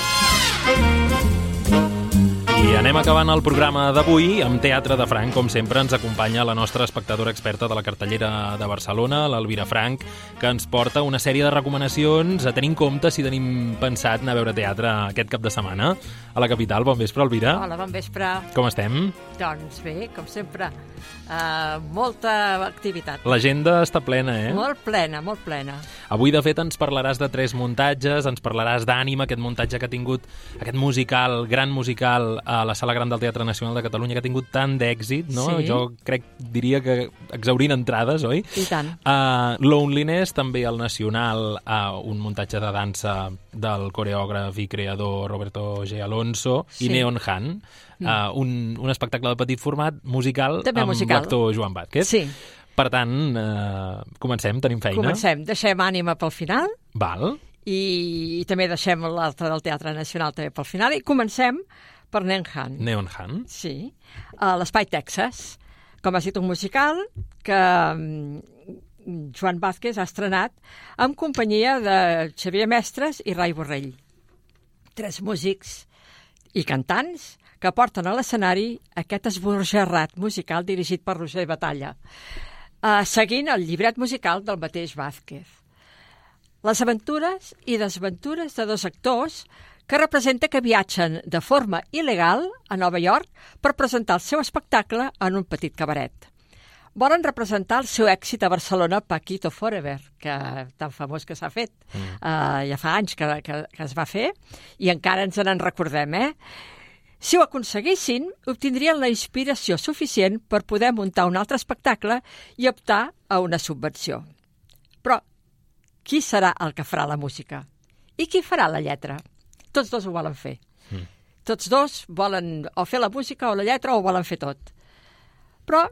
I anem acabant el programa d'avui amb Teatre de Franc. Com sempre, ens acompanya la nostra espectadora experta de la cartellera de Barcelona, l'Elvira Franc, que ens porta una sèrie de recomanacions a tenir en compte si tenim pensat anar a veure teatre aquest cap de setmana a la capital. Bon vespre, Elvira. Hola, bon vespre. Com estem? Doncs bé, com sempre, molta activitat. L'agenda està plena, eh? Molt plena, molt plena. Avui, de fet, ens parlaràs de 3 muntatges, ens parlaràs d'Ànima, aquest muntatge que ha tingut, aquest musical, gran musical, a la Sala Gran del Teatre Nacional de Catalunya, que ha tingut tant d'èxit, no? Sí. Jo diria que exhaurint entrades, oi? I tant. Loneliness, també al Nacional, un muntatge de dansa del coreògraf i creador Roberto G. Alonso, Sí. i Neon Han, un espectacle de petit format musical També amb musical. l'actor Joan Vázquez. Sí. Per tant, comencem, tenim feina. Comencem, deixem Ànima pel final. Val. I també deixem l'altre del Teatre Nacional també pel final. I comencem per Neon Han. Neon Han. Sí. A l'Espai Texas. Com ha estat un musical que Joan Vázquez ha estrenat amb companyia de Xavier Mestres i Rai Borrell. 3 músics i cantants que porten a l'escenari aquest esbojarrat musical dirigit per Roger Batalla, seguint el llibret musical del mateix Vázquez. Les aventures i desventures de 2 actors que representa que viatgen de forma il·legal a Nova York per presentar el seu espectacle en un petit cabaret. Volen representar el seu èxit a Barcelona, Paquito Forever, que tan famós que s'ha fet. Ja fa anys que es va fer i encara ens en recordem, eh? Si ho aconseguissin, obtindrien la inspiració suficient per poder muntar un altre espectacle i optar a una subvenció. Però qui serà el que farà la música? I qui farà la lletra? Tots 2 ho volen fer. Tots 2 volen o fer la música o la lletra o ho volen fer tot. Però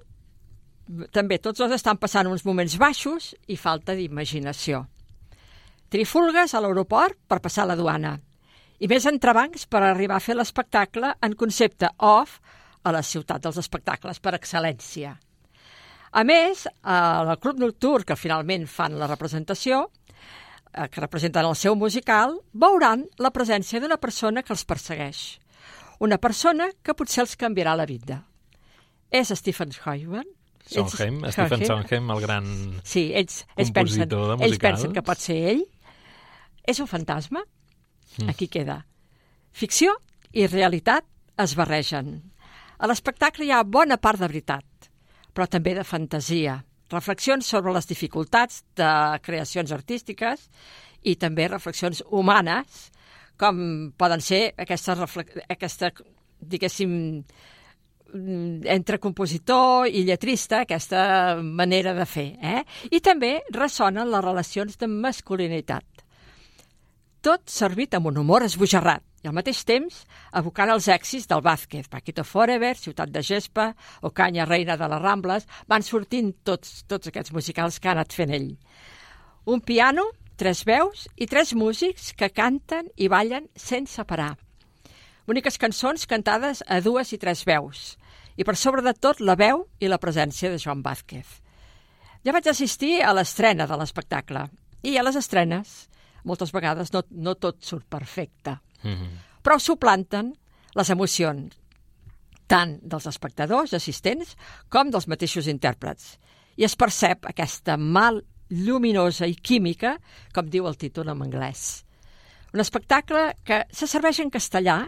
també tots 2 estan passant uns moments baixos i falta d'imaginació. Trifulgues a l'aeroport per passar la duana i més entrebancs per arribar a fer l'espectacle en concepte off a la ciutat dels espectacles per excel·lència. A més, al Club Nocturn, que finalment fan la representació, que representen el seu musical, veuran la presència d'una persona que els persegueix. Una persona que potser els canviarà la vida. És Stephen Sondheim. Stephen Sondheim, el gran compositor de musicals. Ells pensen que pot ser ell. És un fantasma. Aquí queda. Ficció i realitat es barregen. A l'espectacle hi ha bona part de veritat, però també de fantasia, reflexions sobre les dificultats de creacions artístiques i també reflexions humanes, com poden ser aquesta diguéssim, entre compositor i lletrista, aquesta manera de fer. I també ressonen les relacions de masculinitat. Tot servit amb un humor esbojarrat i al mateix temps evocant els èxits del Vázquez. Paquito Forever, Ciutat de Gespa, Ocaña, Reina de les Rambles, van sortint tots aquests musicals que ha anat fent ell. Un piano, 3 veus i 3 músics que canten i ballen sense parar. Boniques cançons cantades a 2 i 3 veus i per sobre de tot la veu i la presència de Joan Vázquez. Ja vaig assistir a l'estrena de l'espectacle i a les estrenes moltes vegades no tot surt perfecte, però suplanten les emocions tant dels espectadors, assistents, com dels mateixos intèrprets. I es percep aquesta mal lluminosa i química, com diu el títol en anglès. Un espectacle que se serveix en castellà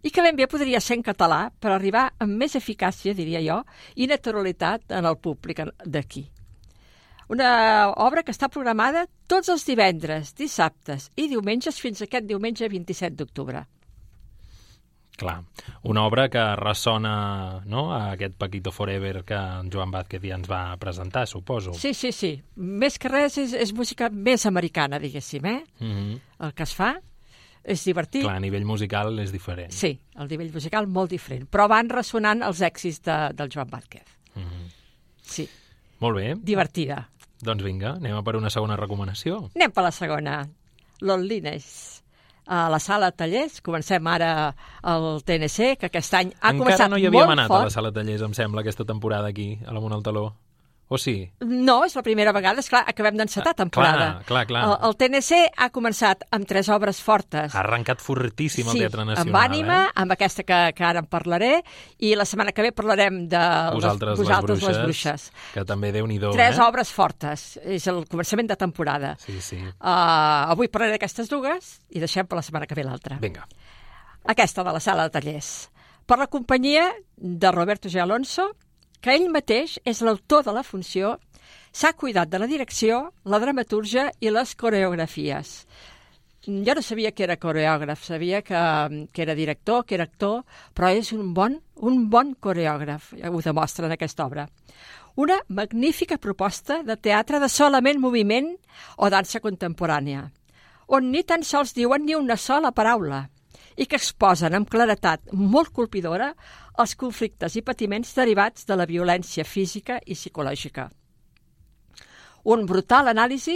i que ben bé podria ser en català per arribar amb més eficàcia, diria jo, i naturalitat en el públic d'aquí. Una obra que està programada tots els divendres, dissabtes i diumenges fins aquest diumenge 27 d'octubre. Clar, una obra que ressona, no?, a aquest Paquito Forever que en Joan Vázquez ja ens va presentar, suposo. Sí. Més que res és música més americana, diguéssim, El que es fa és divertit. Clar, a nivell musical és diferent. Sí, el nivell musical molt diferent, però van ressonant els èxits del Joan Vázquez. Sí. Molt bé. Divertida. Doncs vinga, anem a per una segona recomanació. Anem per la segona. Loneliness. a la sala de tallers. Comencem ara el TNC, que aquest any ha començat molt fort. Encara no hi havíem anat a la sala de tallers, em sembla, aquesta temporada aquí, a l'Amunt al Taló. O sí? No, és la primera vegada, esclar, acabem d'encetar temporada. Clar. El TNC ha començat amb 3 obres fortes. Ha arrencat fortíssim el Teatre Nacional. Amb Ànima, amb aquesta que ara en parlaré, i la setmana que ve parlarem de Vosaltres les Bruixes, que també Déu-n'hi-do. 3 obres fortes, és el començament de temporada. Sí. Avui parlaré d'aquestes dues i deixem per la setmana que ve l'altra. Vinga. Aquesta de la sala de tallers. Per la companyia de Roberto G. Alonso, que ell mateix és l'autor de la funció, s'ha cuidat de la direcció, la dramatúrgia i les coreografies. Jo no sabia que era coreògraf, sabia que era director, que era actor, però és un bon coreògraf, ho demostra en aquesta obra. Una magnífica proposta de teatre de solament moviment o dansa contemporània, on ni tan sols diuen ni una sola paraula, i que exposen amb claretat molt colpidora els conflictes i patiments derivats de la violència física i psicològica. Un brutal anàlisi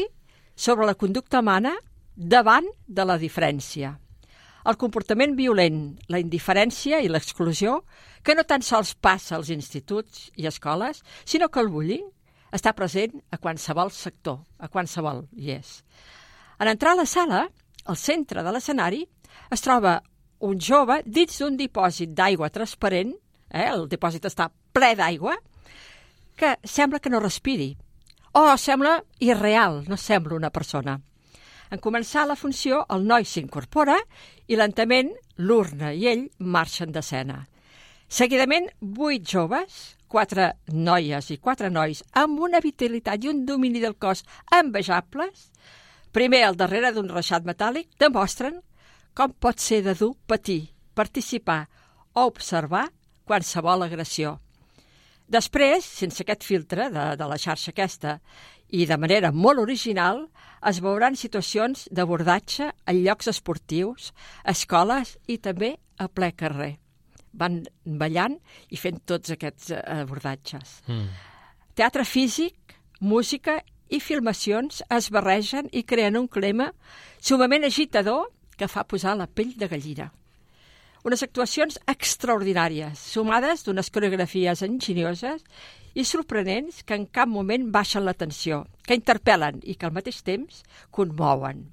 sobre la conducta humana davant de la diferència. El comportament violent, la indiferència i l'exclusió, que no tan sols passa als instituts i escoles, sinó que el bullying està present a qualsevol sector, a qualsevol hi és. En entrar a la sala, al centre de l'escenari, es troba un jove dins d'un dipòsit d'aigua transparent, el dipòsit està ple d'aigua, que sembla que no respiri, o sembla irreal, no sembla una persona. En començar la funció, el noi s'incorpora i lentament l'urna i ell marxen d'escena. Seguidament, 8 joves, 4 noies i 4 nois, amb una vitalitat i un domini del cos envejables, primer al darrere d'un reixat metàl·lic, demostren com pot ser de dur patir, participar o observar qualsevol agressió. Després, sense aquest filtre de la xarxa aquesta, i de manera molt original, es veuran situacions d'abordatge en llocs esportius, escoles i també a ple carrer. Van ballant i fent tots aquests abordatges. Teatre físic, música i filmacions es barregen i creen un clima sumament agitador que fa posar la pell de gallina. Unes actuacions extraordinàries, sumades d'unes coreografies enginyoses i sorprenents que en cap moment baixen la tensió, que interpel·len i que al mateix temps conmouen.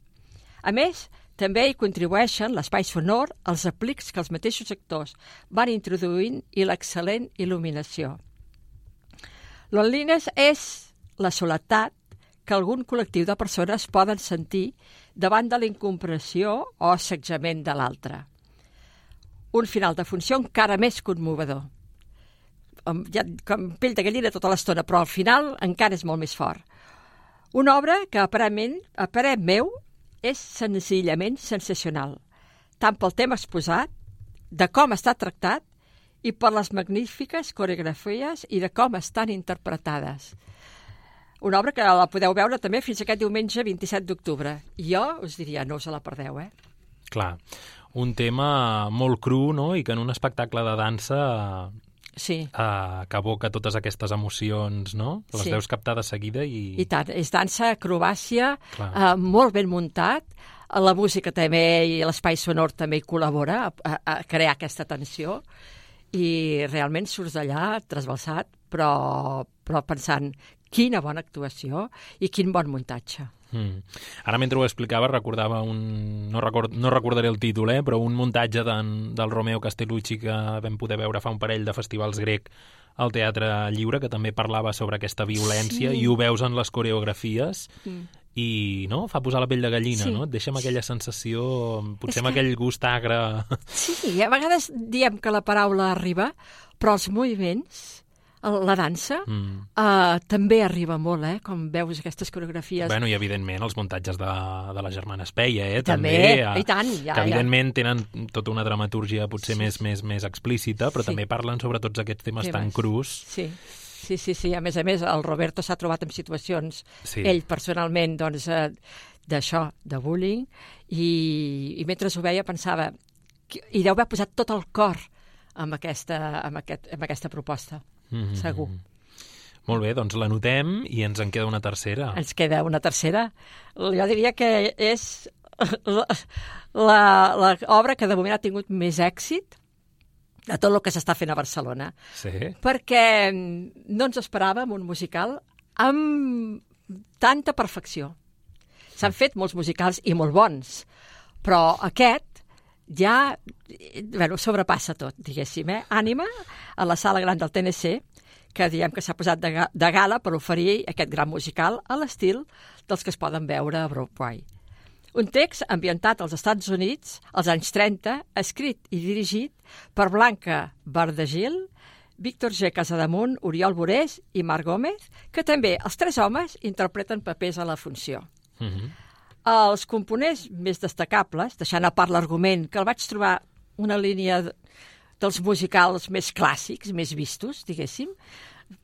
A més, també hi contribueixen l'espai sonor, els aplics que els mateixos actors van introduint i l'excel·lent il·luminació. Loneliness és la soledat que algun col·lectiu de persones poden sentir davant de la incomprensió o assetjament de l'altre. Un final de funció encara més conmovedor. Com pell de gallina tota l'estona, però al final encara és molt més fort. Una obra que, a parer meu, és senzillament sensacional, tant pel tema exposat, de com està tractat, i per les magnífiques coreografies i de com estan interpretades. Una obra que la podeu veure també fins aquest diumenge 27 d'octubre. Jo us diria, no us la perdeu, Clar, un tema molt cru, no?, i que en un espectacle de dansa que evoca totes aquestes emocions, no? Les deus captar de seguida i... I tant, és dansa, acrobàcia, molt ben muntat, la música també i l'espai sonor també hi col·labora a crear aquesta tensió, i realment surts d'allà trasbalsat, però pensant quina bona actuació i quin bon muntatge. Ara, mentre ho explicava, recordava no recordaré el títol, però un muntatge del Romeo Castellucci que vam poder veure fa un parell de festivals grec al Teatre Lliure, que també parlava sobre aquesta violència, i ho veus en les coreografies, i no, fa posar la pell de gallina, no? Et deixa amb aquella sensació, potser amb aquell gust agre. Sí, a vegades diem que la paraula arriba, però els moviments, la dansa, també arriba molt, com veus aquestes coreografies. Bueno, i evidentment els muntatges de la germana Espeia, també, i tant, que evidentment tenen tota una dramatúrgia potser més explícita, però també parlen sobre tots aquests temes tan crus. Sí, a més, el Roberto s'ha trobat en situacions, ell personalment, doncs, d'això, de bullying, i mentre ho veia pensava, i deu haver posat tot el cor amb aquesta proposta. Segur. Molt bé, doncs l'anotem i ens en queda una tercera. Ens queda una tercera. Jo diria que és l'obra que de moment ha tingut més èxit de tot el que s'està fent a Barcelona. Sí. Perquè no ens esperàvem un musical amb tanta perfecció. S'han fet molts musicals i molt bons, però aquest ja sobrepassa tot, diguéssim. Ànima a la sala gran del TNC, que diem que s'ha posat de gala per oferir aquest gran musical a l'estil dels que es poden veure a Broadway. Un text ambientat als Estats Units als anys 30, escrit i dirigit per Blanca Bardagil, Víctor G. Casademunt, Oriol Borés i Marc Gómez, que també els tres homes interpreten papers a la funció. Els components més destacables, deixant a part l'argument, que el vaig trobar una línia dels musicals més clàssics, més vistos, diguéssim,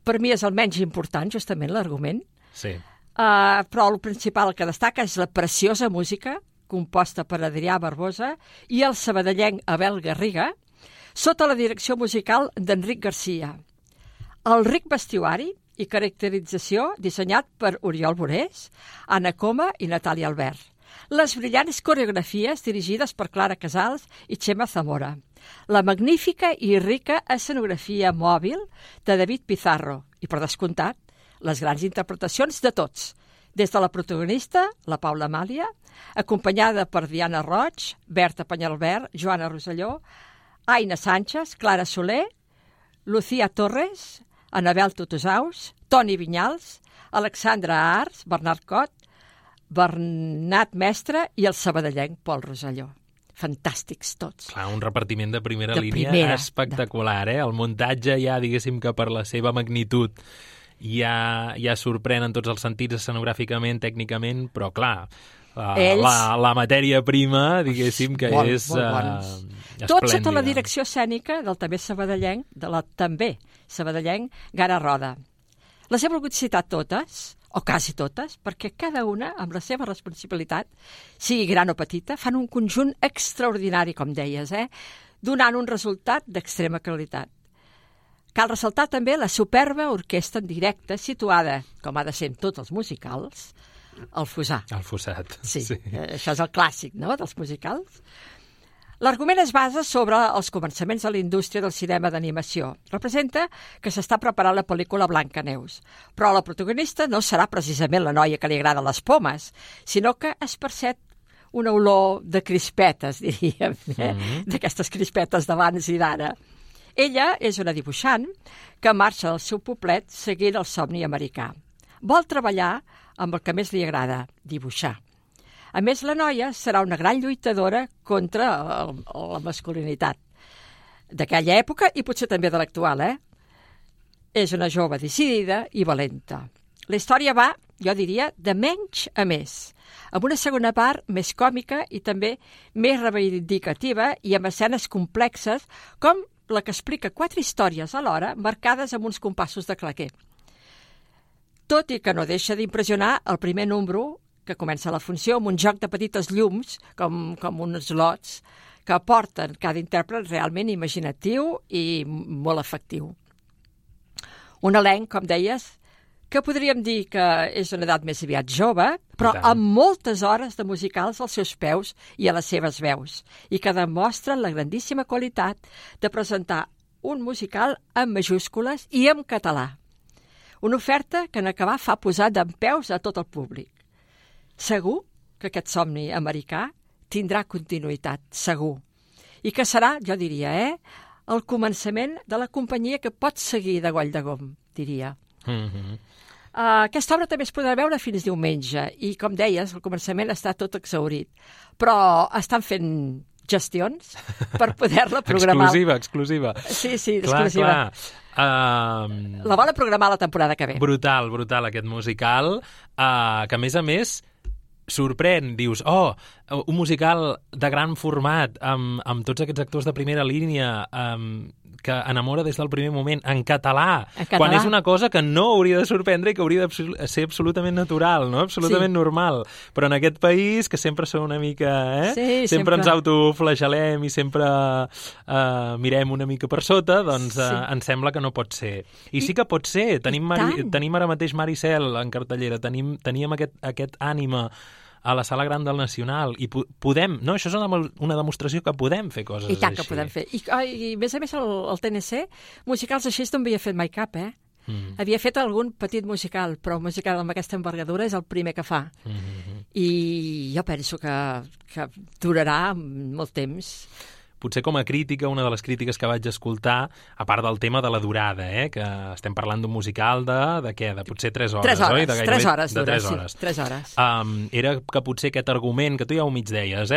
per mi és el menys important, justament, l'argument. Sí. Però el principal que destaca és la preciosa música composta per Adrià Barbosa i el sabadellenc Abel Garriga, sota la direcció musical d'Enric Garcia. El ric vestuari i caracterització dissenyat per Oriol Borés, Anna Coma i Natàlia Albert. Les brillants coreografies dirigides per Clara Casals i Xema Zamora. La magnífica i rica escenografia mòbil de David Pizarro i, per descomptat, les grans interpretacions de tots, des de la protagonista, la Paula Amàlia, acompanyada per Diana Roig, Berta Penyalbert, Joana Rosselló, Aina Sánchez, Clara Soler, Lucía Torres, Anabel Tutusaus, Toni Vinyals, Alexandra Ars, Bernat Cot, Bernat Mestre i el sabadellenc Pol Rosselló. Fantàstics tots. Clar, un repartiment de primera línia espectacular, El muntatge ja, diguéssim, que per la seva magnitud ja sorprèn en tots els sentits, escenogràficament, tècnicament, però clar, la matèria prima, diguéssim, que és esplèndida. Tot sota la direcció escènica del també sabadellenc Gara Roda. Les he volgut citar totes, o quasi totes, perquè cada una, amb la seva responsabilitat, sigui gran o petita, fan un conjunt extraordinari, com deies, donant un resultat d'extrema qualitat. Cal ressaltar també la superba orquestra en directe situada, com ha de ser en tots els musicals, al Fossar. Al Fossat. Sí, això és el clàssic, no?, dels musicals. L'argument es basa sobre els començaments de la indústria del cinema d'animació. Representa que s'està preparant la pel·lícula Blancaneus, però la protagonista no serà precisament la noia que li agrada les pomes, sinó que es percep una olor de crispetes, diríem, d'aquestes crispetes d'abans i d'ara. Ella és una dibuixant que marxa del seu poblet seguint el somni americà. Vol treballar amb el que més li agrada, dibuixar. A més, la noia serà una gran lluitadora contra la masculinitat d'aquella època i potser també de l'actual, És una jove decidida i valenta. La història va, jo diria, de menys a més, amb una segona part més còmica i també més reivindicativa i amb escenes complexes com la que explica 4 històries alhora marcades amb uns compassos de claquer. Tot i que no deixa d'impressionar el primer número que comença la funció amb un joc de petites llums, com uns lots, que aporten cada intèrpret realment imaginatiu i molt efectiu. Un elenc, com deies, que podríem dir que és una edat més aviat jove, però amb moltes hores de musicals als seus peus i a les seves veus, i que demostren la grandíssima qualitat de presentar un musical en majúscules i en català. Una oferta que en acabar fa posar dempeus a tot el públic. Segur que aquest somni americà tindrà continuïtat, segur. I que serà, jo diria, el començament de la companyia que pot seguir de Goll de Gom, diria. Aquesta obra també es podrà veure fins diumenge i, com deies, el començament està tot exhaurit. Però estan fent gestions per poder-la programar. Exclusiva. Sí, exclusiva. La volen programar la temporada que ve. Brutal aquest musical, que a més sorprèn, dius, un musical de gran format, amb tots aquests actors de primera línia, que enamora des del primer moment, en català, quan és una cosa que no hauria de sorprendre i que hauria de ser absolutament natural, no? Absolutament normal. Però en aquest país, que sempre som una mica... sempre ens autoflagelem i sempre mirem una mica per sota, doncs ens sembla que no pot ser. I sí que pot ser. Tenim ara mateix Maricel en cartellera, teníem aquest ànima a la Sala Gran del Nacional i podem, no, això és una demostració que podem fer coses així. I tant que podem fer. I a més, el TNC, musicals així no havia fet mai cap, Havia fet algun petit musical, però un musical amb aquesta envergadura és el primer que fa. I jo penso que durarà molt temps. Potser com a crítica, una de les crítiques que vaig escoltar, a part del tema de la durada, que estem parlant d'un musical de què? De potser 3 hores, oi? De 3 hores. Sí, 3 hores. Era que potser aquest argument, que tu ja ho mig deies,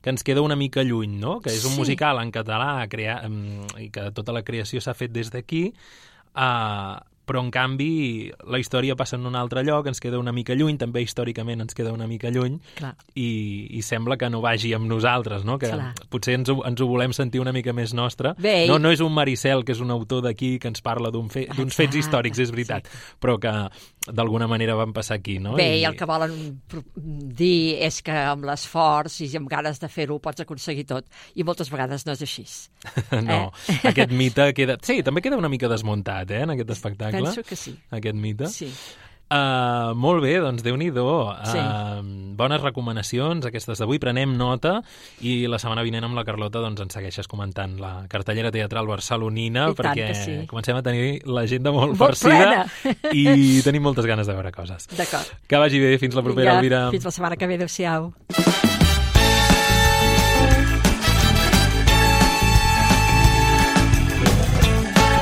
que ens queda una mica lluny, no? Que és un musical en català i que tota la creació s'ha fet des d'aquí, però en canvi la història passa en un altre lloc, ens queda una mica lluny, també històricament ens queda una mica lluny, i sembla que no vagi amb nosaltres, no? Que potser ens ho volem sentir una mica més nostre. No és un Maricel, que és un autor d'aquí que ens parla d'uns fets històrics, és veritat, però que d'alguna manera van passar aquí, no? I el que volen dir és que amb l'esforç i amb ganes de fer-ho pots aconseguir tot, i moltes vegades no és així. No, aquest mite queda... Sí, també queda una mica desmuntat, en aquest espectacle. Penso que sí. Aquest mite. Sí. Molt bé, doncs Déu-n'hi-do. Bones recomanacions, aquestes d'avui. Prenem nota i la setmana vinent amb la Carlota doncs ens segueixes comentant la cartellera teatral barcelonina, perquè comencem a tenir l'agenda molt farcida i tenim moltes ganes de veure coses. D'acord. Que vagi bé, fins la propera, Elvira. Fins la setmana que ve, adéu-siau.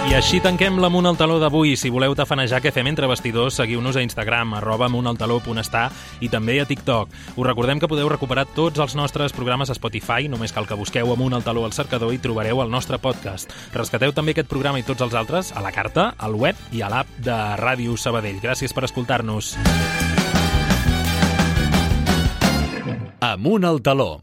I així tanquem l'Amunt al Taló d'avui. Si voleu tafanejar què fem entre bastidors, seguiu-nos a Instagram, @amuntaltaló.està i també a TikTok. Us recordem que podeu recuperar tots els nostres programes a Spotify, només cal que busqueu Amunt al Taló al cercador i trobareu el nostre podcast. Rescateu també aquest programa i tots els altres a la carta, al web i a l'app de Ràdio Sabadell. Gràcies per escoltar-nos. Amunt al Taló.